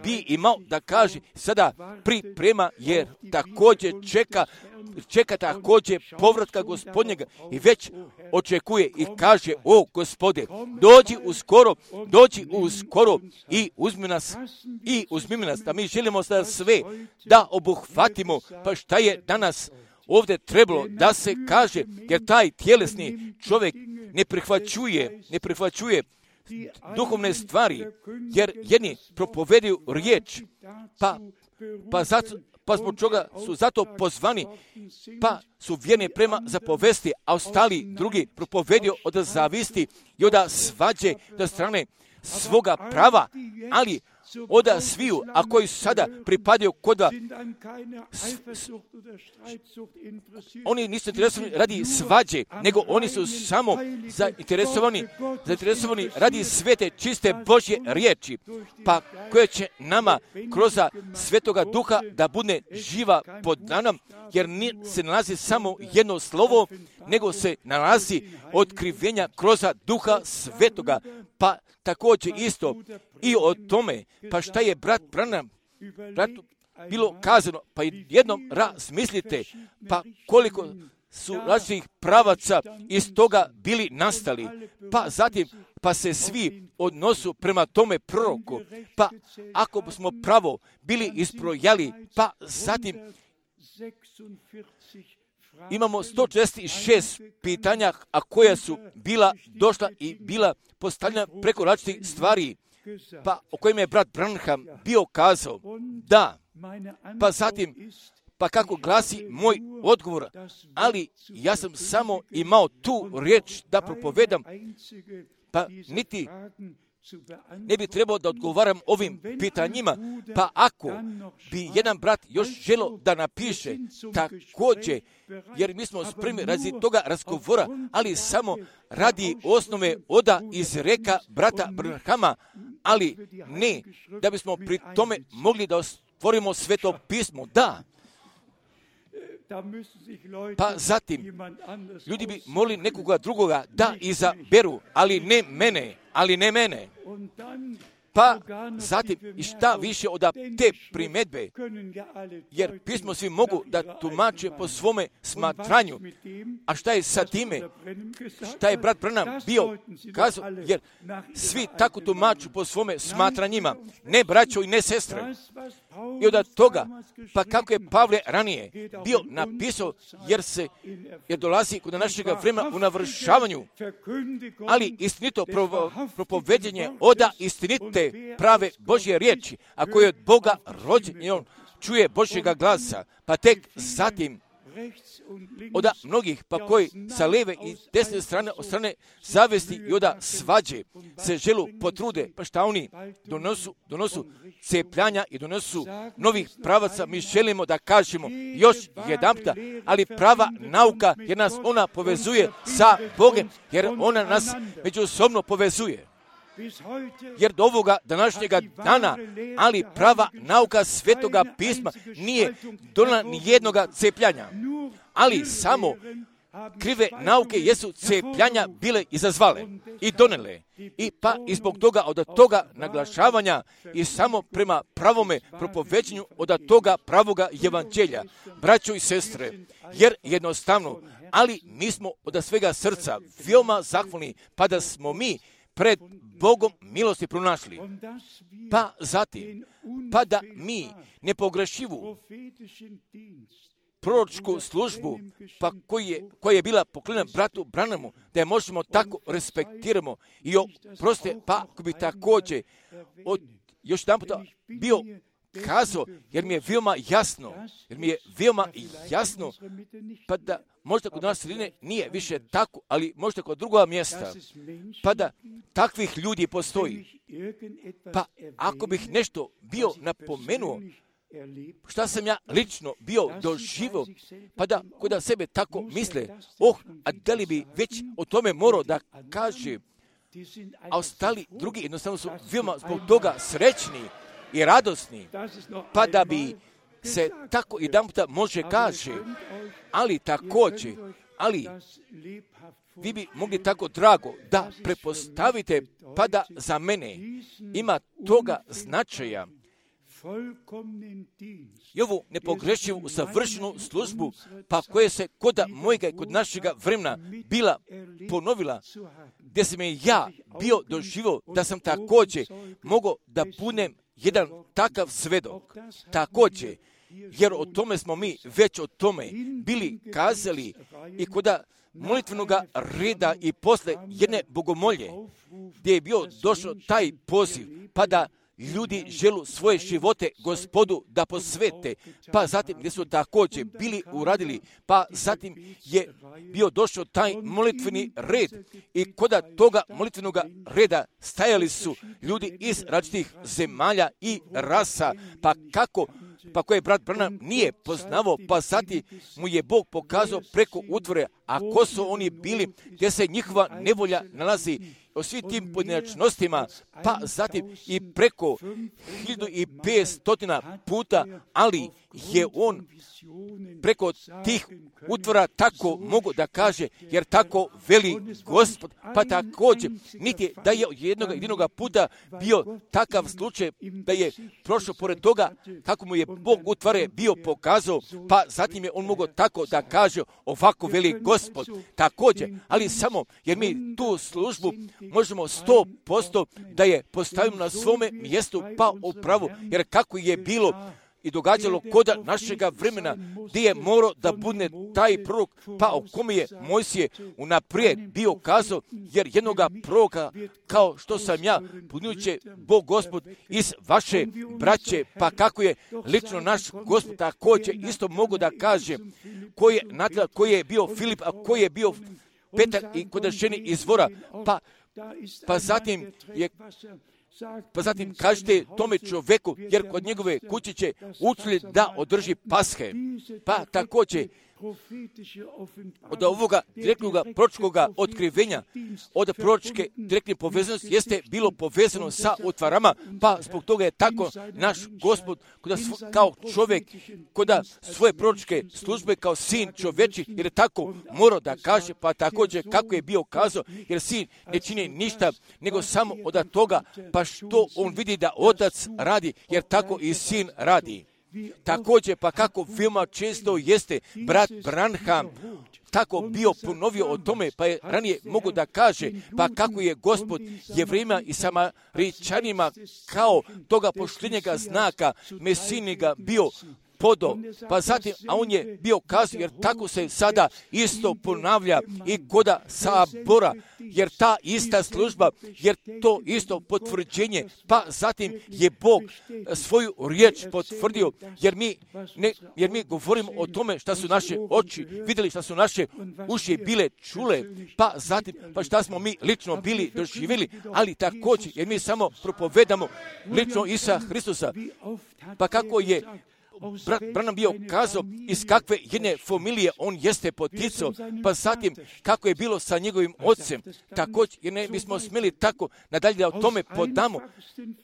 [SPEAKER 1] bi imao da kaže, sada priprema, jer također čeka također povratka Gospodnjega i već očekuje i kaže, o Gospode, dođi uskoro i uzmi nas, da mi želimo sada sve da obuhvatimo, pa šta je danas ovdje trebalo da se kaže, jer taj tjelesni čovjek ne prihvaćuje duhovne stvari, jer jedni propovedaju riječ, pa zbog čega su zato pozvani, pa su vjerni prema zapovesti, a ostali drugi propovedio od zavisti i od svađe do strane svoga prava, ali od sviju, a koji sada pripadaju koda, oni nisu interesovani radi svađe, nego oni su samo zainteresovani radi svete, čiste Božje riječi, pa koje će nama kroz Svetoga Duha da bude živa pod nam, jer se nalazi samo jedno slovo, nego se nalazi otkrivenja kroz Duha Svetoga, pa također isto i o tome, pa šta je bratu bilo kazano, pa jednom razmislite, pa koliko su različitih pravaca iz toga bili nastali, pa zatim, pa se svi odnosu prema tome proroku, pa ako smo pravo bili isprojali, pa zatim imamo 146 pitanja, a koja su bila došla i bila postavljena preko različitih stvari, pa o kojima je brat Branham bio kazao, da, pa zatim, pa kako glasi moj odgovor, ali ja sam samo imao tu riječ da propovedam, pa niti ne bi trebao da odgovaram ovim pitanjima, pa ako bi jedan brat još želio da napiše također, jer mi smo spremni radi toga razgovora, ali samo radi osnove oda izreka brata Branhama, ali ne da bismo pri tome mogli da stvorimo Sveto pismo, da. Pa zatim, ljudi bi molili nekoga drugoga da izaberu, ali ne mene. Pa zatim, i šta više od te primjedbe, jer pismo svi mogu da tumače po svome smatranju. A šta je sa time? Šta je brat Branham bio kazao? Jer svi tako tumaču po svome smatranjima, ne braćo i ne sestre. I od toga, pa kako je Pavle ranije bio napisao, jer dolazi kod našega vremena u navršavanju, ali istinito propoveđenje oda istinite prave Božje riječi, a koje je od Boga rođen i on čuje Božjega glasa, pa tek zatim od mnogih, pa koji sa lijeve i desne strane, od strane zavesti i od svađe se želu potrude, pa šta oni donosu cepljanja i donosu novih pravaca, mi želimo da kažemo još jedanputa, ali prava nauka, jer nas ona povezuje sa Bogom, jer ona nas međusobno povezuje. Jer do ovoga današnjega dana, ali prava nauka Svetoga pisma nije donijela ni jednoga cepljanja, ali samo krive nauke jesu cepljanja bile izazvale i donele. I pa i zbog toga od toga naglašavanja i samo prema pravome propoveđenju od toga pravoga evanđelja, braćo i sestre, jer jednostavno, ali mi smo od svega srca veoma zahvalni, pa da smo mi pred Bogom milosti pronašli. Pa zatim, pa da mi nepogrešivu proročku službu, pa koja je bila poklonjena bratu Branhamu, da je možemo tako respektiramo i proste, pa ako bi također još jedan puta bio kazao, jer mi je veoma jasno, pa da možda kod nas sredine nije više tako, ali možda kod druga mjesta, pa da takvih ljudi postoji. Pa ako bih nešto bio napomenuo, šta sam ja lično bio doživio, pa da kod sebe tako misle, a da li bi već o tome morao da kaže, a ostali drugi jednostavno su veoma zbog toga srećni i radosni, pa da bi se tako jedan puta može kaže, ali također, vi bi mogli tako drago da prepostavite, pa da za mene ima toga značaja i ovu nepogrešivu savršenu službu, pa koje se kod mojega i kod našega vremena bila ponovila, gdje sam je ja bio doživio da sam također mogao da budem jedan takav svedok. Također, jer o tome smo mi već o tome bili kazali i kod molitvenog reda i posle jedne bogomolje, gdje je bio došao taj poziv, pa da ljudi želu svoje živote Gospodu da posvete, pa zatim gdje su također bili uradili, pa zatim je bio došao taj molitveni red i kod toga molitvenog reda stajali su ljudi iz različitih zemalja i rasa, pa koje brat Branham nije poznavao, pa zatim mu je Bog pokazao preko utvore, a ko su oni bili, gdje se njihova nevolja nalazi, o svim tim pojedinačnostima, pa zatim i preko 1500 puta, ali je on preko tih utvora tako mogu da kaže, jer tako veli Gospod, pa također niti da je jednog puta bio takav slučaj da je prošao pored toga kako mu je Bog utvare bio pokazao, pa zatim je on mogao tako da kaže, ovako veli Gospod. Također, ali samo jer mi tu službu možemo 100% da je postavimo na svome mjestu, pa upravo, jer kako je bilo i događalo kod našega vremena, gdje je morao da bude taj prorok, pa o kome je Mojsije unaprijed bio kazao, jer jednoga proroka, kao što sam ja, punuće Bog Gospod iz vaše braće, pa kako je lično naš Gospod također isto mogu da kaže, koji je bio Filip, a koji je bio Petar i kod ženi izvora, pa zatim kažete tome čovjeku, jer kod njegove kuće će učili da održi Pashe. Pa također od ovoga direktnog proročkog otkrivenja, od proročke direktne povezanosti jeste bilo povezano sa utvarama, pa zbog toga je tako naš Gospod kao čovjek, kod svoje proročke službe kao sin čovječi, jer je tako morao da kaže, pa također kako je bio kazao, jer sin ne čini ništa, nego samo od toga, pa što on vidi da otac radi, jer tako i sin radi. Također, pa kako veoma često jeste brat Branham tako bio ponovio o tome, pa je ranije mogu da kaže, pa kako je Gospod Jevrejima i Samaričanima kao toga poštenjega znaka Mesijnega bio podo, pa zatim, a on je bio kazao, jer tako se sada isto ponavlja i kod sabora, jer ta ista služba, jer to isto potvrđenje, pa zatim je Bog svoju riječ potvrdio, jer mi govorimo o tome šta su naše oči vidjeli, šta su naše uši bile čule, pa zatim, pa šta smo mi lično bili doživjeli, ali također, jer mi samo propovedamo lično Isusa Hristusa, pa kako je brat Branham bio kazao iz kakve jedne familije on jeste poticao, pa zatim kako je bilo sa njegovim ocem, također, jer ne bismo smjeli tako nadalje da o tome podamo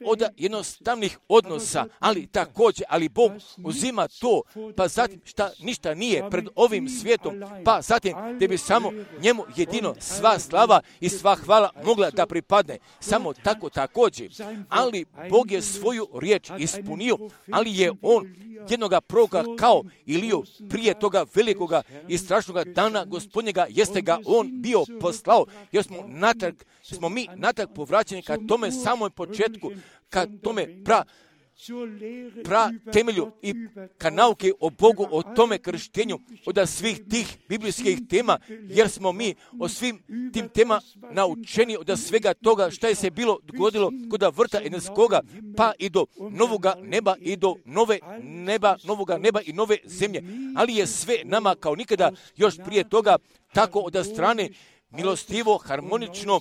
[SPEAKER 1] od jednostavnih odnosa, ali također, ali Bog uzima to, pa zatim šta ništa nije pred ovim svijetom, pa zatim da bi samo njemu jedino sva slava i sva hvala mogla da pripadne, samo tako također, ali Bog je svoju riječ ispunio, ali je on jednoga proroka kao Iliju prije toga velikoga i strašnoga dana Gospodnjega jeste ga on bio poslao, jer smo mi natrag povraćeni ka tome samoj početku, ka tome temelju i ka nauke o Bogu, o tome krštenju, od svih tih biblijskih tema, jer smo mi o svim tim tema naučeni od svega toga šta je se bilo dogodilo kod vrta Edenskoga, pa i do novoga neba i do novoga neba i nove zemlje. Ali je sve nama kao nikada još prije toga tako od strane milostivo, harmonično,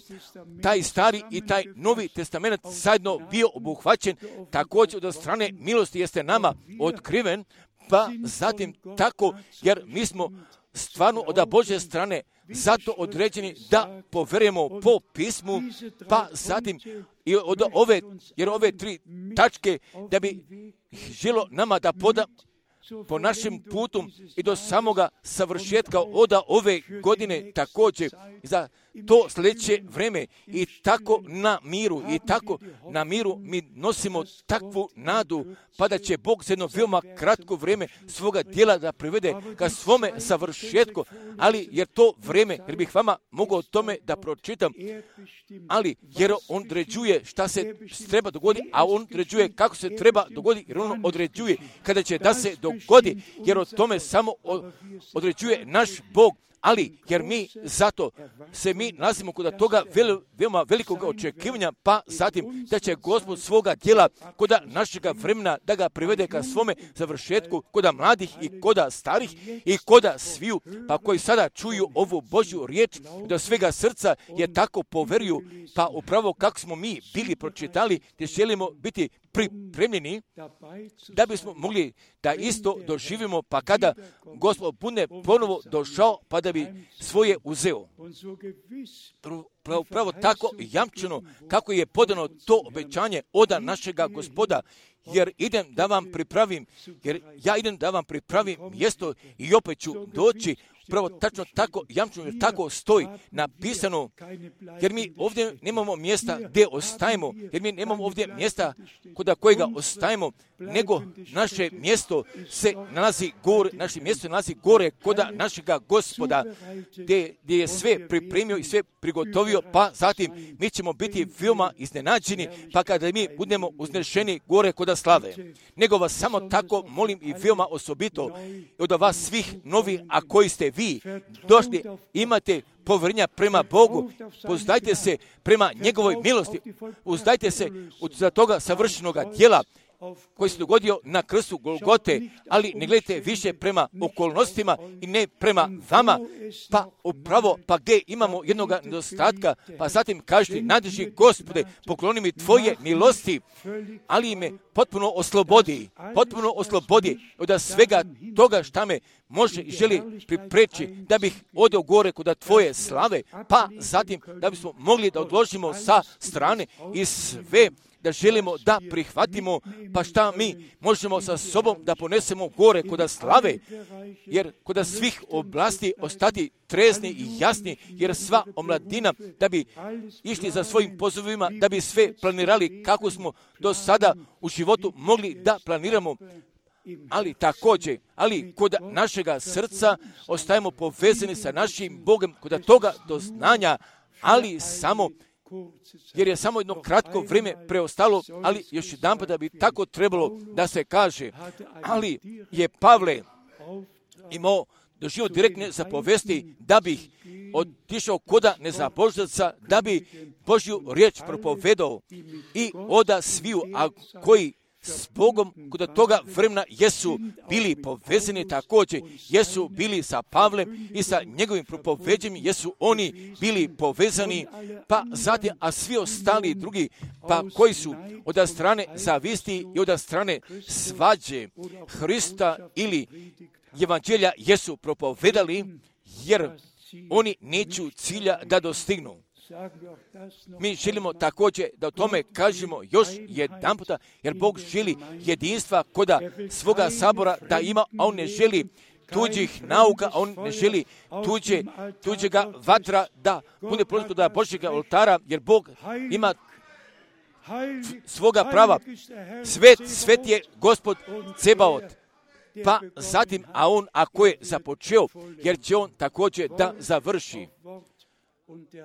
[SPEAKER 1] taj stari i taj novi testament zajedno bio obuhvaćen, također od strane milosti jeste nama otkriven, pa zatim tako, jer mi smo stvarno od Božje strane zato određeni da poverujemo po pismu, pa zatim i od ove tri tačke da bi želo nama da poda po našem putu i do samoga savršetka od ove godine također za to sljedeće vreme i tako na miru mi nosimo takvu nadu, pa da će Bog za jedno veoma kratko vrijeme svoga djela da privede ka svome savršetku, ali jer to vrijeme, jer bih vama mogao o tome da pročitam, ali jer on određuje šta se treba dogoditi, a on određuje kako se treba dogoditi, jer on određuje kada će da se dogodi, jer o tome samo određuje naš Bog. Ali, jer mi zato se mi nalazimo kod toga veoma velikog očekivanja, pa zatim da će Gospod svoga djela kod našega vremena da ga privede ka svome završetku, kod mladih i kod starih i kod sviju, pa koji sada čuju ovu Božju riječ, da svega srca je tako poveruju, pa upravo kako smo mi bili pročitali, gdje želimo biti pripremljeni da bismo mogli da isto doživimo, pa kada Gospod bude ponovo došao, pa da bi svoje uzeo. Pravo tako jamčeno kako je podano to obećanje od našega Gospoda, jer ja idem da vam pripravim mjesto i opet ću doći. Pravo tačno tako jamčeno, jer tako stoji napisano, jer mi ovdje nemamo mjesta gdje ostajemo, jer mi nemamo ovdje mjesta kod kojega ostajemo, nego naše mjesto se nalazi gore kod našega Gospoda, gdje je sve pripremio i sve prigotovio, pa zatim mi ćemo biti veoma iznenađeni, pa kada mi budemo uznešeni gore kod slave. Nego vas samo tako molim i veoma osobito od vas svih novi, a koji ste vi došli, imate povjerenja prema Bogu, uzdajte se prema njegovoj milosti, uzdajte se za toga savršenoga djela koji se dogodio na krstu Golgote, ali ne gledajte više prema okolnostima i ne prema vama, pa upravo, pa gdje imamo jednog nedostatka, pa zatim kažete, nadrži Gospode, pokloni mi tvoje milosti, ali me potpuno oslobodi od svega toga šta me može i želi pripreći da bih odeo gore kod tvoje slave, pa zatim da bismo mogli da odložimo sa strane i sve da želimo da prihvatimo, pa šta mi možemo sa sobom da ponesemo gore kod slave, jer kod svih oblasti ostati trezni i jasni, jer sva omladina da bi išli za svojim pozovima, da bi sve planirali kako smo do sada u životu mogli da planiramo, ali također, kod našega srca ostajemo povezani sa našim Bogom, kod toga doznanja, ali samo jer je samo jedno kratko vrijeme preostalo, ali još jedan da bi tako trebalo da se kaže. Ali je Pavle imao doživio direktne zapovesti da bi otišao koda nezaboždaca, da bi Božju riječ propovedao i oda sviju, a koji s Bogom kod toga vremena jesu bili povezani također, jesu bili sa Pavlem i sa njegovim propoveđenjem, jesu oni bili povezani, pa zatim, a svi ostali drugi, pa koji su od strane zavisti i od strane svađe Hrista ili evanđelja jesu propovedali, jer oni neću cilja da dostignu. Mi želimo također da o tome kažemo još jedan puta, jer Bog želi jedinstva kod svoga sabora da ima, a on ne želi tuđih nauka, a on ne želi tuđega vatra da bude prožito da Božjega oltara, jer Bog ima svoga prava. Svet je Gospod Cebaot. Pa zatim, a on ako je započeo, jer će on također da završi.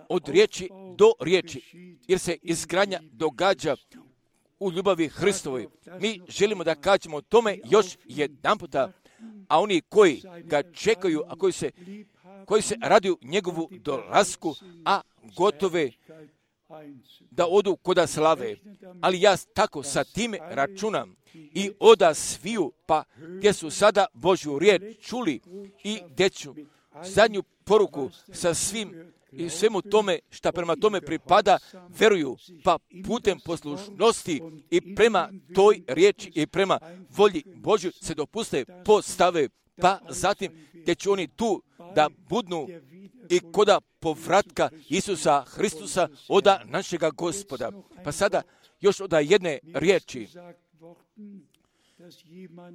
[SPEAKER 1] Od riječi do riječi, jer se izgradnja događa u ljubavi Hristovoj. Mi želimo da kažemo tome još jedan puta, a oni koji ga čekaju, a koji se raduju njegovu dolasku, a gotove da odu koda slave. Ali ja tako sa time računam i oda sviju, pa gdje su sada Božju riječ čuli i gdje ću zadnju poruku sa svim i svemu tome šta prema tome pripada veruju, pa putem poslušnosti i prema toj riječi i prema volji Božju se dopuste postave, pa zatim gdje će oni tu da budnu i koda povratka Isusa Hristusa oda našega Gospoda. Pa sada još oda jedne riječi,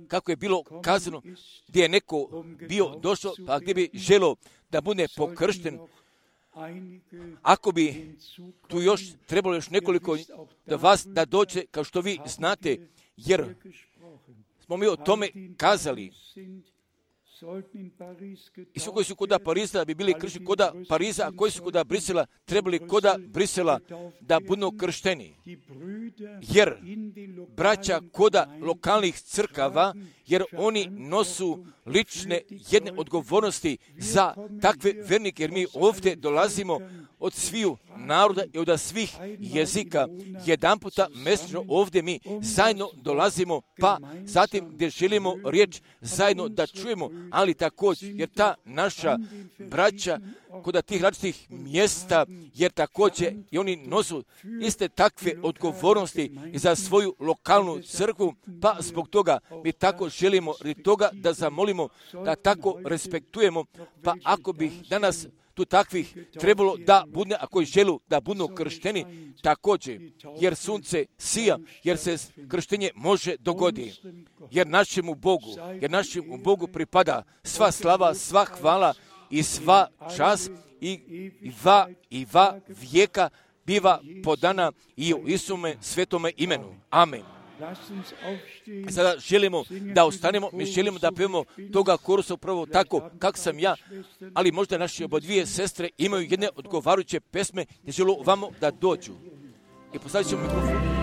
[SPEAKER 1] kako je bilo kazano, gdje je neko bio došao, pa gdje bi želio da bude pokršten. Ako bi tu još trebalo još nekoliko da vas da dođe, kao što vi znate, jer smo mi o tome kazali. I svi koji su koda Pariza bi bili kršteni koda Pariza, a koji su koda Brisela trebali koda Brisela da budu kršteni. Jer braća koda lokalnih crkava, jer oni nosu lične jedne odgovornosti za takve vernike, jer mi ovdje dolazimo od sviju naroda i od svih jezika. Jedan puta mjesečno ovdje mi zajedno dolazimo, pa zatim gdje želimo riječ zajedno da čujemo, ali također, jer ta naša braća kod tih različitih mjesta, jer također i oni nosu iste takve odgovornosti i za svoju lokalnu crkvu, pa zbog toga mi tako želimo toga da zamolimo, da tako respektujemo, pa ako bih danas tu takvih trebalo da bude, a koji želu da budu kršteni također, jer sunce sija, jer se krštenje može dogoditi, jer našemu Bogu pripada sva slava, sva hvala i sva čast i va vijeka biva podana i u Isume svetome imenu. Amen. Sada želimo da ostanemo, mi želimo da pevamo toga korusa upravo tako kako sam ja, ali možda naše obodvije sestre imaju jedne odgovarajuće pesme gdje žele vamo da dođu. I postavit ćemo mikrofon.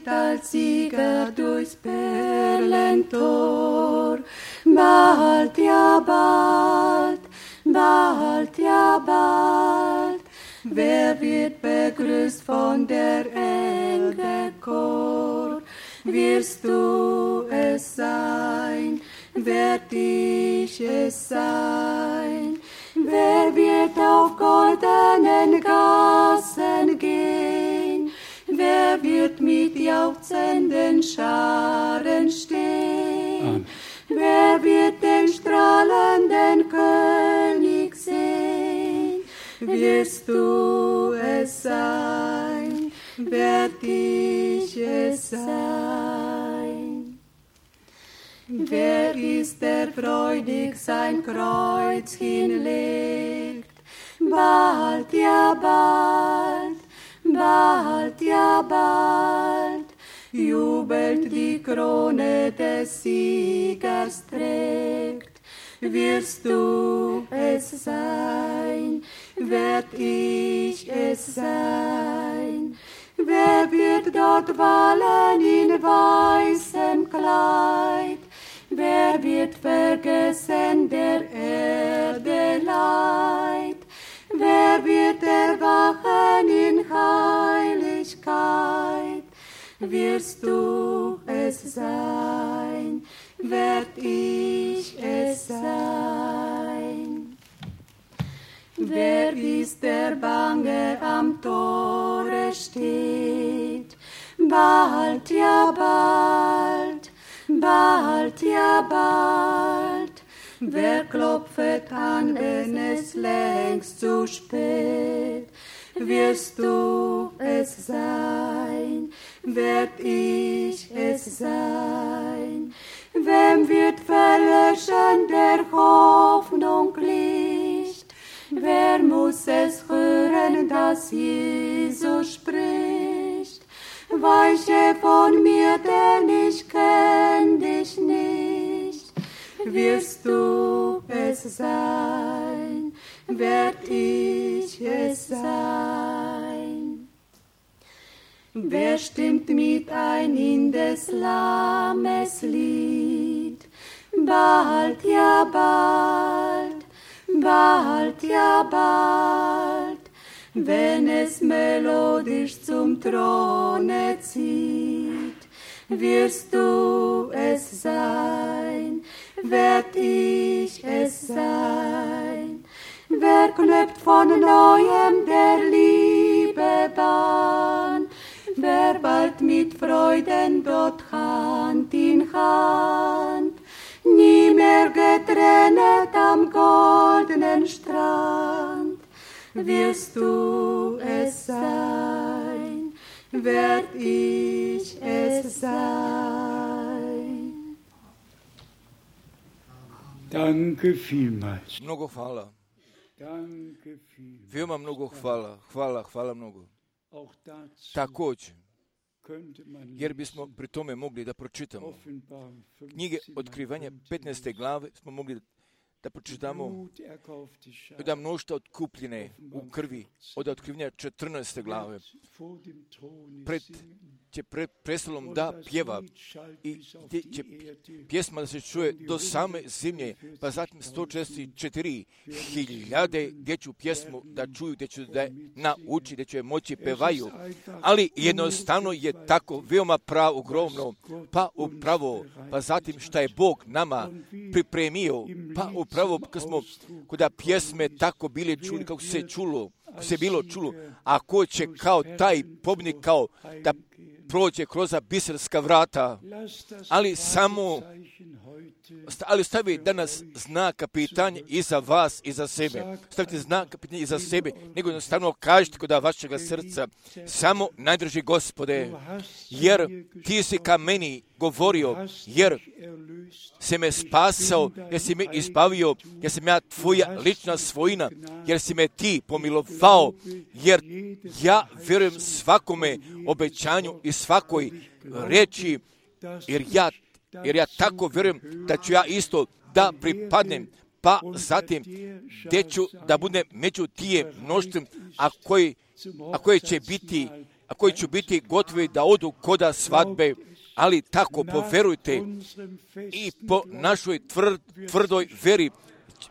[SPEAKER 2] Als Sieger durchs Perlentor, bald, ja bald, bald, ja bald, wer wird begrüßt von der Engelchor? Wirst du es sein, werd ich es sein, wer wird auf goldenen Gassen gehen? Wer wird mit jauchzenden Scharen stehen? Amen. Wer wird den strahlenden König sehen? Wirst du es sein? Werd ich es sein? Wer ist der freudig sein Kreuz hinlegt? Bald, ja bald, bald, ja bald, jubelt die Krone des Siegers trägt. Wirst du es sein, werd ich es sein. Wer wird dort wallen in weißem Kleid? Wer wird vergessen der Erde Leid? Wer wird erwachen in Heiligkeit? Wirst du es sein, werd ich es sein. Wer ist der bange am Tore steht? bald, ja bald, bald, ja bald. Wer klopft an, wenn es längst zu spät? Wirst du es sein, werd ich es sein? Wem wird verlöschen der Hoffnung Licht? Wer muss es hören, dass Jesus spricht? Weiche von mir, denn ich kenn dich nicht. Wirst du es sein, werd ich es sein? Wer stimmt mit ein in des Lammes Lied? Bald, ja bald, bald, ja bald, wenn es melodisch zum Throne zieht, wirst du es sein, werd ich es sein. Wer knüpft von neuem der Liebe Bahn, wer bald mit Freuden dort Hand in Hand, nie mehr getrennt am goldenen Strand, wirst du es sein, werd ich es sein.
[SPEAKER 3] Danke vielmals.
[SPEAKER 1] Mnogo hvala.
[SPEAKER 3] Danke vielmals.
[SPEAKER 1] Veoma mnogo hvala. Hvala mnogo.
[SPEAKER 3] Auch dazu
[SPEAKER 1] Također,
[SPEAKER 3] könnte man
[SPEAKER 1] jer bismo pri tome mogli da pročitamo
[SPEAKER 3] Offenbarung 15
[SPEAKER 1] knjige Otkrivanja 15. glave, smo mogli da pročitamo
[SPEAKER 3] Blut erkaufte Schar
[SPEAKER 1] da mnoštva otkupljene u krvi od Otkrivanja 14. glave.
[SPEAKER 3] vor dem Thron
[SPEAKER 1] Pred će pred prestolom da pjeva i gdje će pjesma da se čuje do same zemlje, pa zatim 144.000 gdje ću pjesmu da čuju, gdje ću da nauči, gdje ću je moći pevaju. Ali jednostavno je tako veoma ogromno, pa upravo, pa zatim šta je Bog nama pripremio, pa upravo kad smo kuda pjesme tako bili čuli, kako se čulo, se bilo čulo, a ko će kao taj pobjednik kao da prođe kroz biserska vrata, ali samo stavi danas znak pitanja i za vas i za sebe. Stavite znak pitanja i za sebe, nego jednostavno kažete kod vašega srca, samo najdrži Gospode, jer ti si ka meni govorio, jer si me spasao, jer si me izbavio, jer sam ja tvoja lična svojina, jer si me ti pomilovao, jer ja vjerujem svakome obećanju i svakoj reči, jer ja tako vjerujem da ću ja isto da pripadnem, pa zatim gdje ću da budem među tije mnoštvom, a koji ću biti gotovi da odu koda svadbe, ali tako poverujte i po našoj tvrdoj veri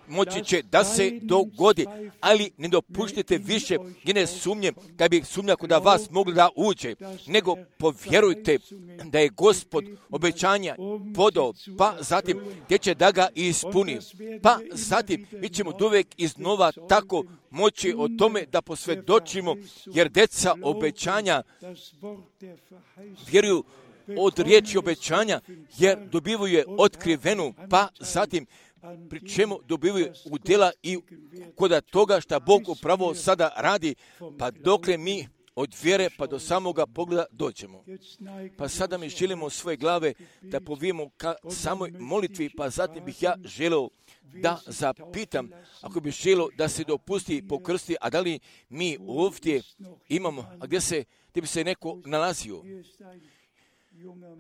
[SPEAKER 1] moći će da se dogodi, ali ne dopuštite više njene sumnje, da bi sumnja kod vas mogla da uđe, nego povjerujte da je Gospod obećanja podao, pa zatim gdje će da ga ispuni, pa zatim mi ćemo uvijek iznova tako moći o tome da posvjedočimo, jer deca obećanja vjeruju od riječi obećanja, jer dobivaju je otkrivenu, pa zatim pri čemu dobivaju udjela i kod toga što Bog upravo sada radi, pa dokle mi od vjere pa do samoga pogleda dođemo. Pa sada mi želimo svoje glave da povijemo ka samoj molitvi, pa zatim bih ja želio da zapitam, ako bi želio da se dopusti pokrsti, a da li mi ovdje imamo, a gdje bi se neko nalazio?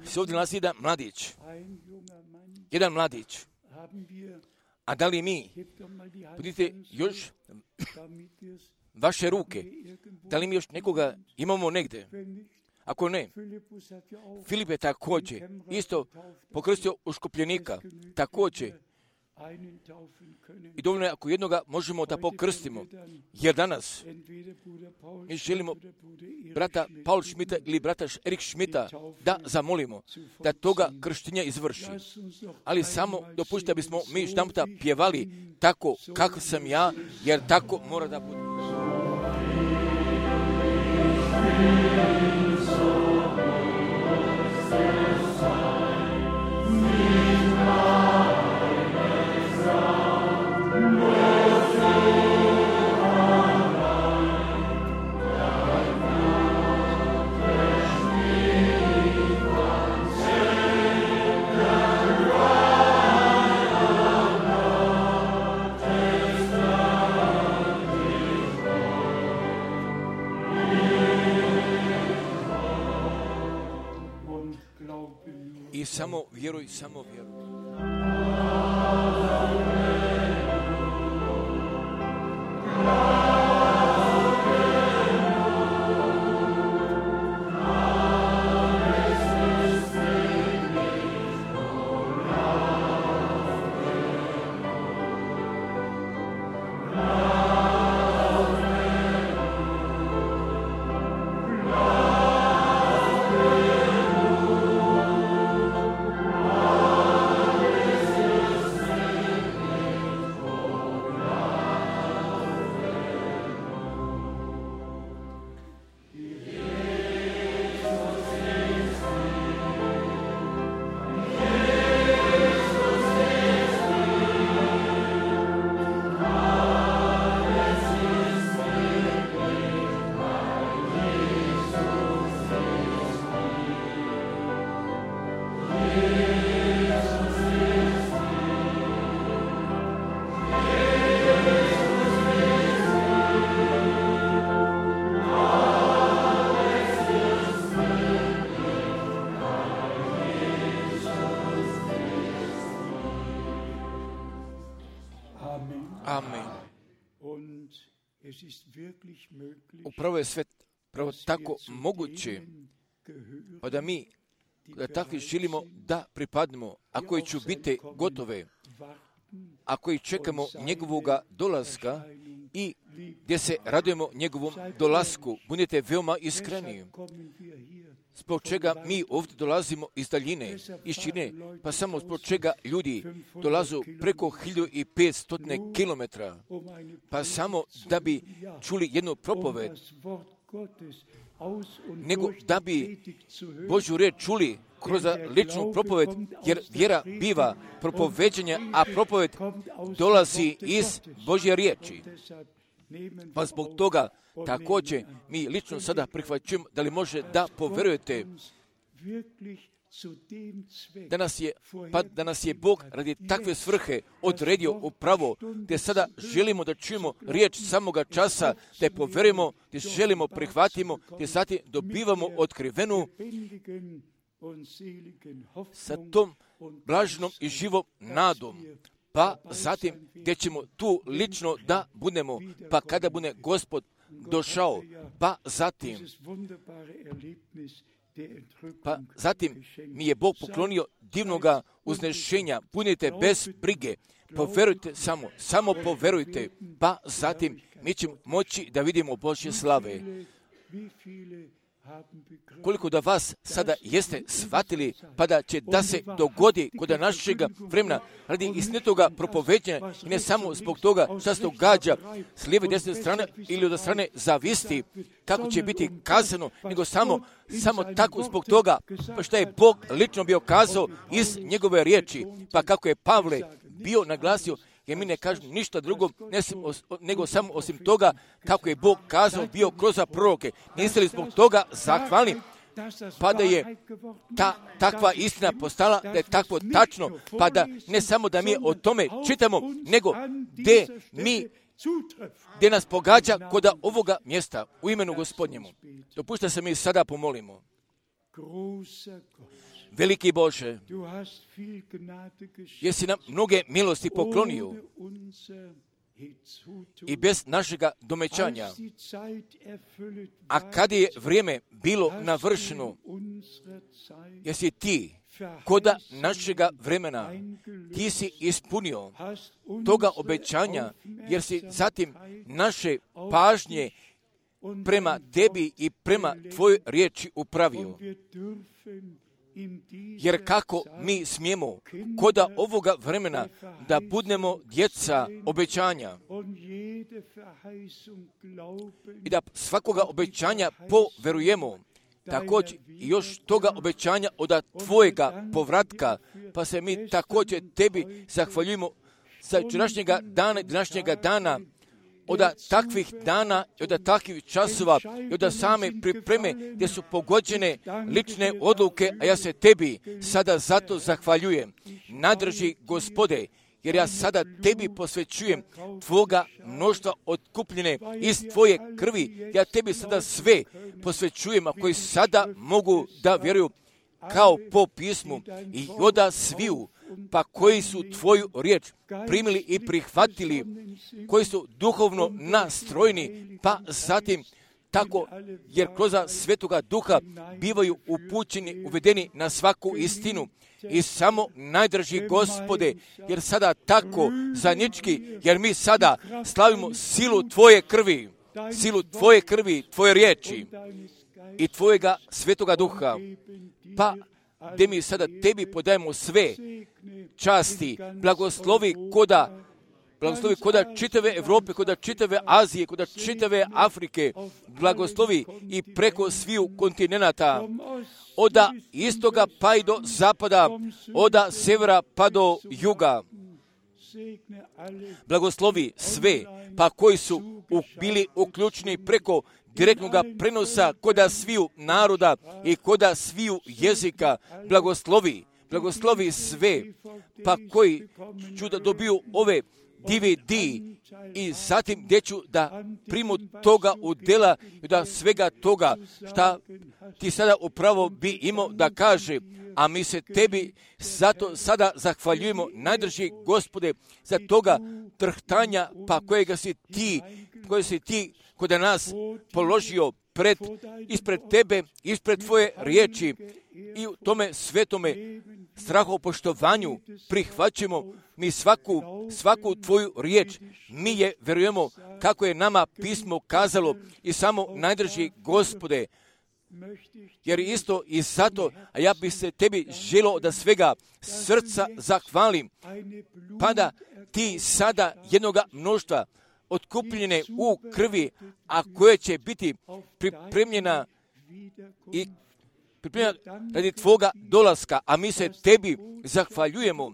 [SPEAKER 1] Se ovdje nalazi jedan mladić. A da li mi, budite još vaše ruke, da li mi još nekoga imamo negdje? Ako ne, Filip je također isto pokrstio uškopljenika, također. I dovoljno je ako jednoga možemo da pokrstimo, jer danas mi želimo brata Paul Schmidta ili brata Erik Schmidta da zamolimo da toga krštenja izvrši. Ali samo dopustite da bismo mi štamputa pjevali tako kako sam ja, jer tako mora da bude. I samo vjeruj, samo vjeruj. Amen. Upravo je sve tako moguće, pa da mi da takvi želimo da pripadnemo, a koji će biti gotove, a koji čekamo njegovoga dolaska i gdje se radujemo njegovom dolasku. Budite veoma iskreni. Zbog čega mi ovdje dolazimo iz daljine, iz Čine, pa samo zbog čega ljudi dolazu preko 1500 kilometara, pa samo da bi čuli jednu propoved, nego da bi Božju riječ čuli kroz ličnu propoved, jer vjera biva propoveđenja, a propoved dolazi iz Božje riječi. Pa zbog toga također mi lično sada prihvaćujemo da li može da poverujete da nas je Bog radi takve svrhe odredio upravo, gdje sada želimo da čujemo riječ samoga časa, da je poverujemo, gdje želimo prihvatimo, gdje zatim dobivamo otkrivenu sa tom blaženom i živom nadom. Pa zatim gdje ćemo tu lično da budemo, pa kada bude Gospod došao, pa zatim mi je Bog poklonio divnoga uznešenja. Budite bez brige, poverujte samo poverujte, pa zatim mi ćemo moći da vidimo Božje slave. Koliko da vas sada jeste shvatili, pa da će da se dogodi kod našega vremena radi istinitoga propoveđenja i ne samo zbog toga što se događa s lijeve i desne strane ili od strane zavisti, kako će biti kazano, nego samo tako zbog toga što je Bog lično bio kazao iz njegove riječi, pa kako je Pavle bio naglasio, jer mi ne kažemo ništa drugo nego samo osim toga kako je Bog kazao bio kroz proroke. Niste li zbog toga zahvalni? Pa da je takva istina postala, da je takvo tačno, pa da ne samo da mi o tome čitamo, nego gdje nas pogađa kod ovoga mjesta u imenu Gospodnjemu. Dopušta se mi sada pomolimo. Veliki Bože, jesi nam mnoge milosti poklonio i bez našega domećanja, a kad je vrijeme bilo navršeno, jesi ti koda našega vremena, ti si ispunio toga obećanja, jer si zatim naše pažnje prema tebi i prema tvojoj riječi upravio. Jer kako mi smijemo koda ovoga vremena da budemo djeca obećanja i da svakoga obećanja poverujemo, također još toga obećanja od tvojega povratka, pa se mi također tebi zahvaljujemo za današnjega dana, od takvih dana, od takvih časova, i od same pripreme gdje su pogođene lične odluke, a ja se tebi sada zato zahvaljujem. Nadrži Gospode, jer ja sada tebi posvećujem tvoga mnoštva otkupljene iz tvoje krvi. Ja tebi sada sve posvećujem, a koji sada mogu da vjeruju, kao po pismu i oda sviju, pa koji su tvoju riječ primili i prihvatili, koji su duhovno nastrojeni, pa zatim tako, jer kroz Svetoga Duha bivaju upućeni, uvedeni na svaku istinu. I samo najdraži Gospode, jer sada tako zajednički, jer mi sada slavimo silu Tvoje krvi, Tvoje riječi i Tvojega Svetoga Duha, pa gdje mi sada Tebi podajemo sve časti, blagoslovi koda čitave Evrope, koda čitave Azije, koda čitave Afrike, blagoslovi i preko sviju kontinenata, oda istoga pa i do zapada, oda severa pa do juga. Blagoslovi sve, pa koji su bili uključeni preko direktnog prenosa koda sviju naroda i koda sviju jezika. Blagoslovi sve, pa koji ću da dobiju ove DVD i zatim gdje ću da primu toga udjela i da svega toga šta ti sada upravo bi imao da kaže, a mi se Tebi zato sada zahvaljujemo, najdraži Gospode, za toga trhtanja pa kojega si ti kod nas položio ispred Tebe, ispred Tvoje riječi i u tome svetome strahopoštovanju prihvaćamo mi svaku Tvoju riječ. Mi je vjerujemo kako je nama pismo kazalo i samo najdraži Gospode, jer isto i zato, a ja bi se Tebi želio da svega srca zahvalim, pa da ti sada jednoga mnoštva otkupljene u krvi, a koje će biti pripremljena radi Tvoga dolaska, a mi se Tebi zahvaljujemo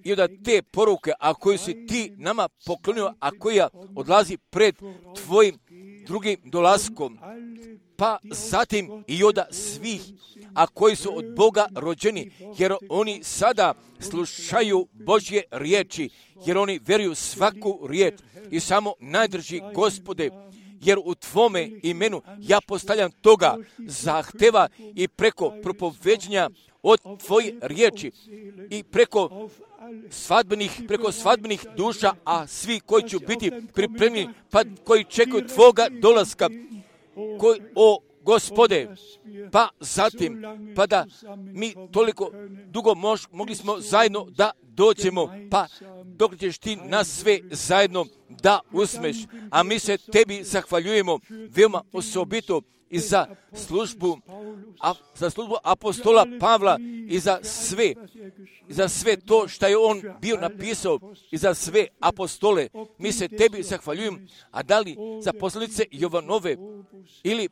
[SPEAKER 1] i da te poruke, a koje si Ti nama poklonio, a koja odlazi pred Tvojim drugim dolaskom, pa zatim i od svih, a koji su od Boga rođeni, jer oni sada slušaju Božje riječi, jer oni vjeruju svaku riječ i samo najdrži Gospode, jer u Tvome imenu ja postavljam toga zahteva i preko propoveđenja od Tvoje riječi i preko svadbenih duša, a svi koji će biti pripremljeni, pa koji čekaju Tvoga dolaska, o Gospode, pa zatim, pa da mi toliko dugo mogli smo zajedno da dođemo, pa dok ćeš Ti nas sve zajedno da usmeš, a mi se Tebi zahvaljujemo veoma osobito i za službu apostola Pavla i za sve to što je on bio napisao i za sve apostole. Mi se Tebi zahvaljujemo, a da li za poslanice Jovanove ili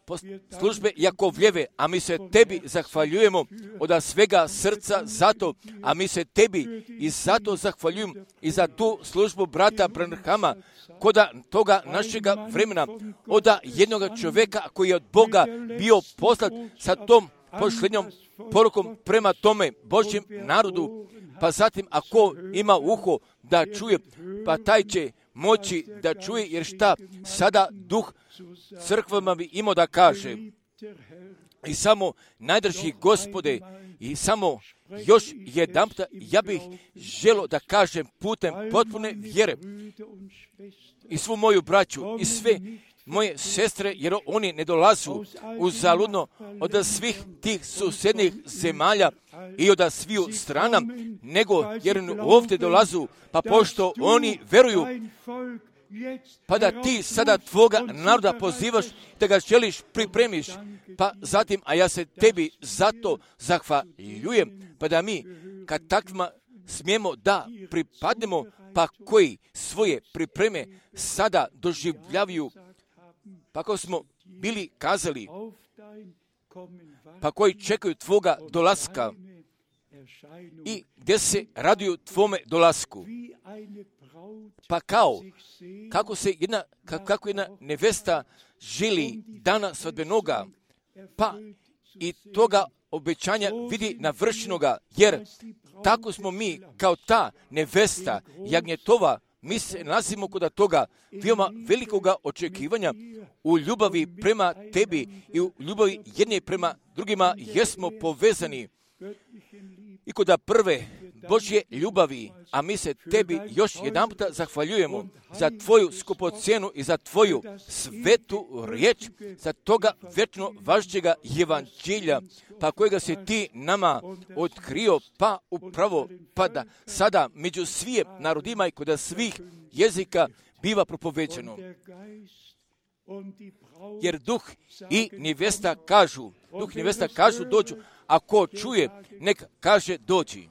[SPEAKER 1] službe Jakovljeve, a mi se Tebi zahvaljujemo od svega srca zato, a mi se Tebi i zato zahvaljujemo i za tu službu brata Branhama, koda toga našega vremena, od jednoga čovjeka koji je od Boga bio poslat sa tom pošlednjom porukom prema tome Božjem narodu, pa zatim ako ima uho da čuje, pa taj će moći da čuje, jer šta sada duh crkvama bi imao da kaže. I samo najdrži Gospode, i samo još jedanputa ja bih želio da kažem putem potpune vjere i svu moju braću i sve moje sestre, jer oni ne dolazu uzaludno od svih tih susjednih zemalja i od sviju strana, nego jer ovdje dolazu, pa pošto oni veruju, pa da ti sada Tvoga naroda pozivaš, da ga želiš pripremiš, pa zatim, a ja se Tebi zato zahvaljujem, pa da mi kad takvima smijemo da pripadnemo, pa koji svoje pripreme sada doživljavaju, pa kako smo bili kazali, pa koji čekaju Tvoga dolaska i gdje se raduju Tvome dolasku. Pa kako jedna nevesta želi dana svadbenoga, pa i toga obećanja vidi navršenoga, jer tako smo mi kao ta nevesta jagnjetova, mi se nalazimo kod toga veoma velikoga očekivanja u ljubavi prema Tebi i u ljubavi jedne prema drugima jesmo povezani, i kod prve Božje ljubavi, a mi se tebi još jedanputa zahvaljujemo za tvoju skupocjenu i za tvoju svetu riječ, za toga vječno važećega evanđelja, pa kojega si ti nama otkrio, pa upravo pada sada među svim narodima i kod svih jezika biva propoveđeno. Jer duh i nevjesta kažu dođu, a ko čuje, nek kaže dođi.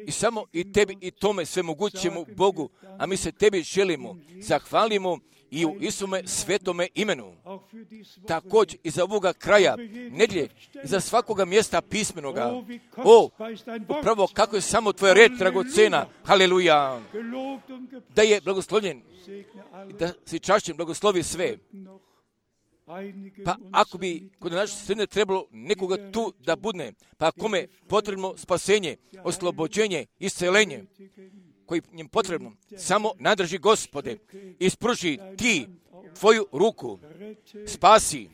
[SPEAKER 1] I samo i tebi i tome svemogućemu Bogu, a mi se tebi želimo, zahvalimo i u Isume svetome imenu. Također i za ovoga kraja nedjelje, i za svakoga mjesta pismenoga. Upravo kako je samo tvoja riječ dragocena. Haleluja. Da je blagoslovljen, da si čašćen, blagoslovi sve. Pa ako bi kod naše sredine trebalo nekoga tu da budne, pa kome potrebno spasenje, oslobođenje, iscelenje, koji njim potrebno, samo nadrži Gospode, ispruži ti tvoju ruku, spasi,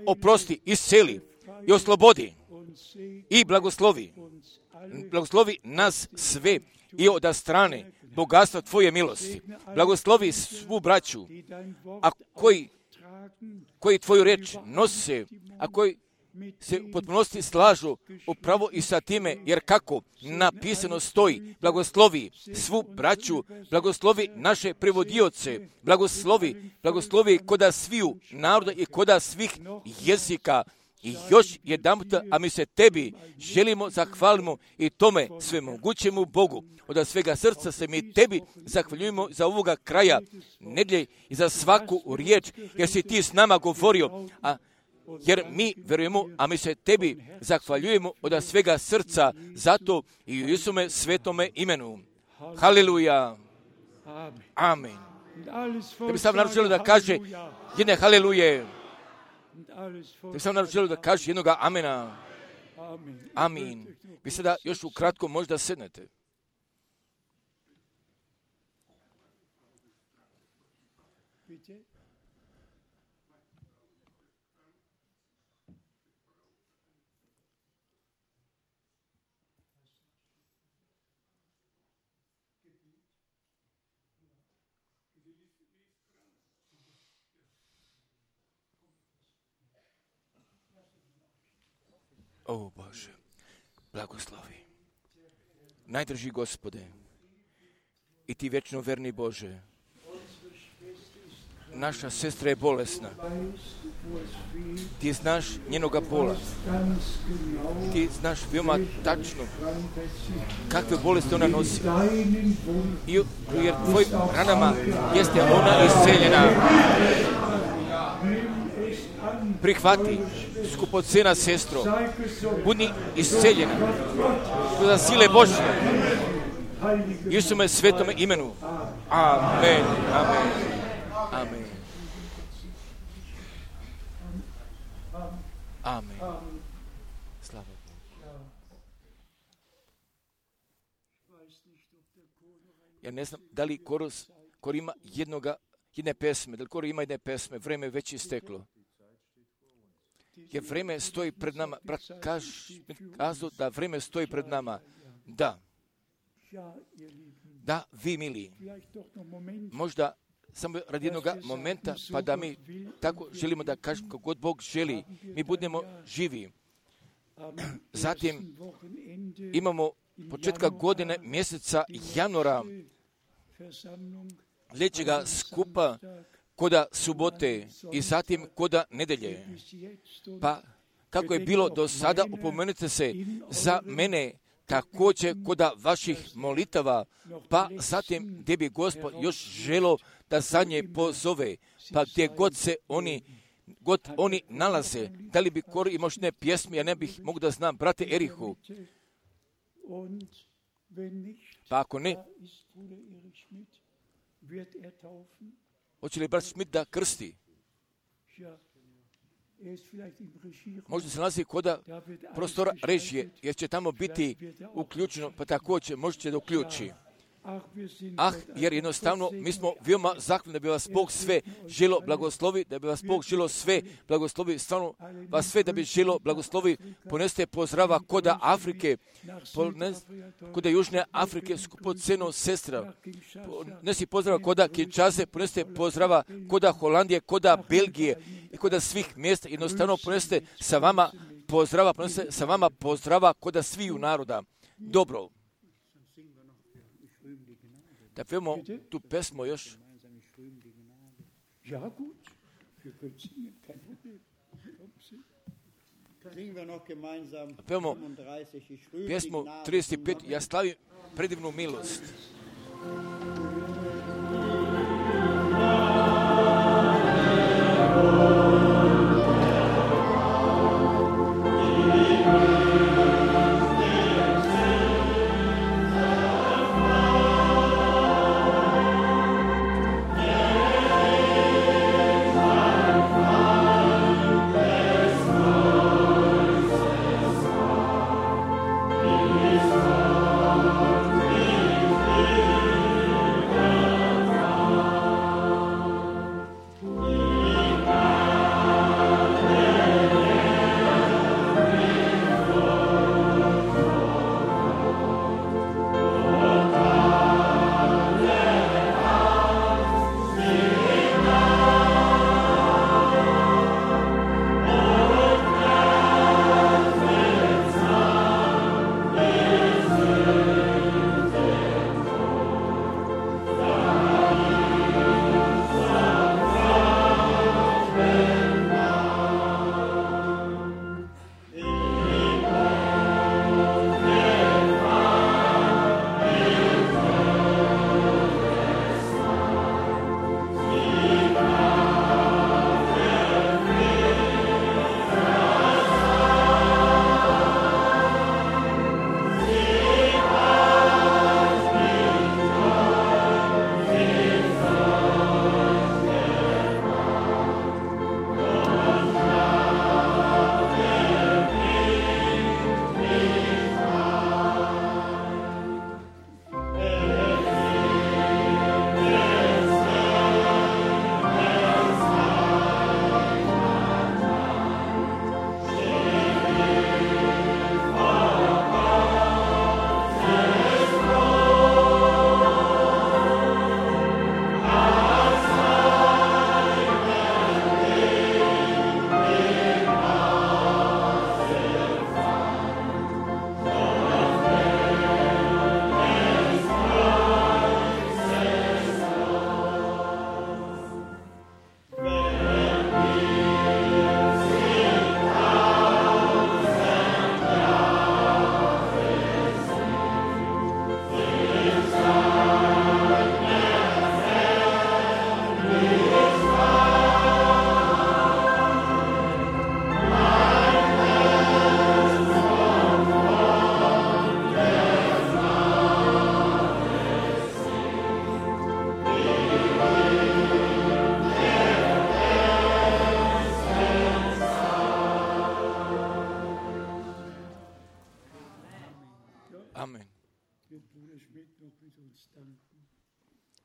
[SPEAKER 1] oprosti, isceli i oslobodi i blagoslovi. Blagoslovi nas sve i od strane bogatstva tvoje milosti. Blagoslovi svu braću, a koji tvoju riječ nose, a koji se u potpunosti slažu upravo i sa time, jer kako napisano stoji, blagoslovi svu braću, blagoslovi naše prevodioce, blagoslovi koda sviju naroda i koda svih jezika. I još jedanputa, a mi se tebi želimo, zahvalimo i tome svemogućemu Bogu. Od svega srca se mi tebi zahvaljujemo za ovoga kraja nedjelje i za svaku riječ, jer si ti s nama govorio, jer mi verujemo, a mi se tebi zahvaljujemo od svega srca, zato i u Isume svetome imenu. Haleluja. Amen. Da bi sam narod želio da kaže jedne haleluje. Da bi sam narod želio da kaže jednoga amena. Amin. Vi sada još ukratko možda sednete. O Bože, blagoslovi. Najdrži Gospode, i ti vječno verni Bože, naša sestra je bolesna. Ti znaš njenoga bola. Ti znaš veoma tačno kakve bolesti ona nosi. Jer tvojim ranama jeste ona isceljena. Prihvati, skupocena sestro, budi isceljena za sile Božje. Isume svetome imenu. Amen. Amen. Amen. Amen. Slava Bogu. Ja ne znam da li kor ima jedne pesme, da li kor ima jedne pesme, vreme već isteklo. Jer vreme stoji pred nama. Brat kazao da vreme stoji pred nama. Da. Da, vi mili. Možda samo radi jednog momenta, pa da mi tako želimo da kažemo kako god Bog želi. Mi budemo živi. Zatim imamo početka godine mjeseca januara sljedećega skupa koda subote i zatim koda nedelje. Pa kako je bilo do sada, upomenite se za mene također koda vaših molitava, pa zatim gdje bi Gospod još želo da za nje pozove, pa gdje god se oni nalaze, da li bi kor imao ne pjesmi, ja ne bih mogu da znam, brate Erihu. Pa ako ne, hoće li brat Schmidt da krsti? Možda se nalazi koda prostora režije, jer će tamo biti uključeno, pa također možete da uključi. jer jednostavno mi smo veoma zahvalni da bi vas Bog sve želo blagoslovi, da bi vas Bog želo sve blagoslovi, stvarno vas sve da bi želo blagoslovi. Poneste pozdrava koda Afrike, koda Južne Afrike, skupoceno sestra, ponesi pozdrava koda Kinshase, poneste pozdrava koda Holandije, koda Belgije i koda svih mjesta. Jednostavno poneste sa vama pozdrava koda sviju naroda. Dobro. Da pevamo tu pesmu još. Pevamo pjesmu 35, ja slavim predivnu milost.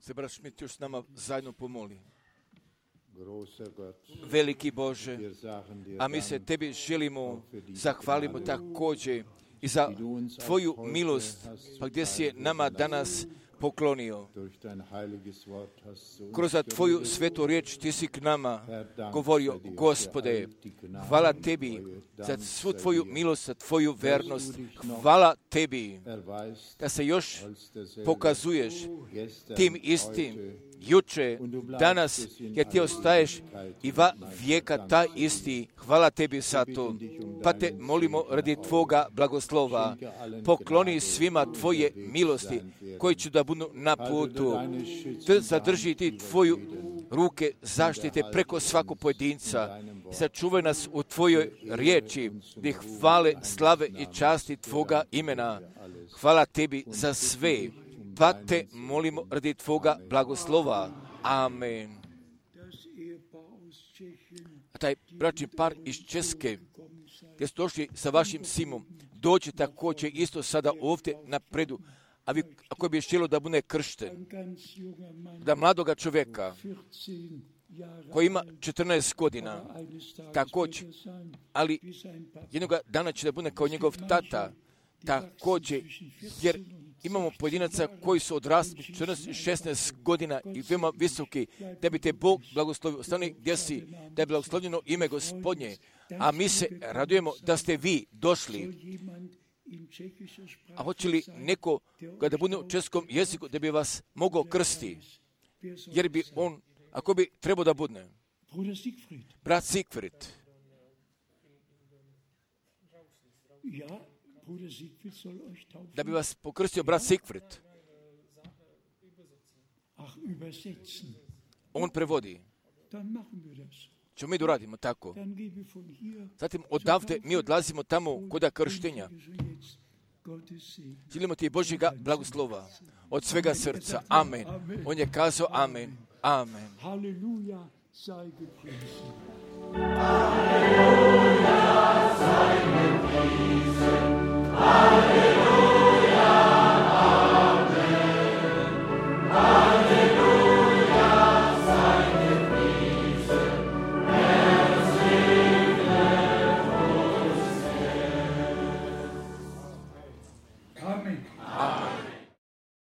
[SPEAKER 1] se brat Schmidt još s nama zajedno pomoli. Veliki Bože, a mi se Tebi želimo, zahvalimo također i za Tvoju milost, pa gdje si je nama danas poklonio. Kroz Tvoju svetu riječ Ti si k nama govorio, Gospode, hvala Tebi za svu Tvoju milost, za Tvoju vernost. Hvala Tebi da se još pokazuješ tim istim juče, danas, jer Ti ostaješ i va vijeka taj isti. Hvala Tebi za to. Pa Te molimo radi Tvoga blagoslova. Pokloni svima Tvoje milosti koji će da budu na putu. Te zadrži Ti Tvoju ruke zaštite preko svakog pojedinca. Sačuvaj nas u Tvojoj riječi, gdje hvale, slave i časti Tvoga imena. Hvala Tebi za sve. Pa Te molimo radi Tvoga blagoslova. Amen. A taj bračni par iz Česke, gdje ste došli sa vašim simom, dođe također isto sada ovdje napredu, ako bi htjelo da bude kršten,
[SPEAKER 3] ein ganz junger Mann,
[SPEAKER 1] da mladoga čovjeka
[SPEAKER 3] 14 Jahre
[SPEAKER 1] koji ima 14 godina,
[SPEAKER 3] alt, eines Tages
[SPEAKER 1] također,
[SPEAKER 3] wird er sein,
[SPEAKER 1] ali
[SPEAKER 3] wie sein Papa.
[SPEAKER 1] jednoga dana će da bude kao njegov tata, također, jer imamo pojedinaca koji su odrasli 14 i 16 godina i veoma visoki, da bi te Bog blagoslovio. Ostani gdje si, da je blagoslovljeno ime Gospodnje, a mi se radujemo da ste vi došli.
[SPEAKER 3] Soll jemand in tschechischer Sprache
[SPEAKER 1] A hoće li
[SPEAKER 3] sein,
[SPEAKER 1] neko, kada bude u českom jeziku, da bi vas mogao krsti,
[SPEAKER 3] wer soll
[SPEAKER 1] jer bi
[SPEAKER 3] das sein?
[SPEAKER 1] on, ako bi trebao da budne,
[SPEAKER 3] Bruder Siegfried.
[SPEAKER 1] brat Sigfrid,
[SPEAKER 3] Ja, Bruder Siegfried soll euch taufen.
[SPEAKER 1] da bi vas pokrstio brat Sigfrid,
[SPEAKER 3] Ach, übersetzen.
[SPEAKER 1] on prevodi.
[SPEAKER 3] Dann machen wir das.
[SPEAKER 1] Ćemo mi da uradimo tako.
[SPEAKER 3] Dann gebe ich von hier
[SPEAKER 1] Zatim odavde mi odlazimo tamo koda krštenja.
[SPEAKER 3] jetzt Gottes Segen.
[SPEAKER 1] Želimo ti Božjega blagoslova od svega srca. Amen. On je kazao amen. Amen.
[SPEAKER 3] Halleluja, sei gepriesen.
[SPEAKER 2] Halleluja, sei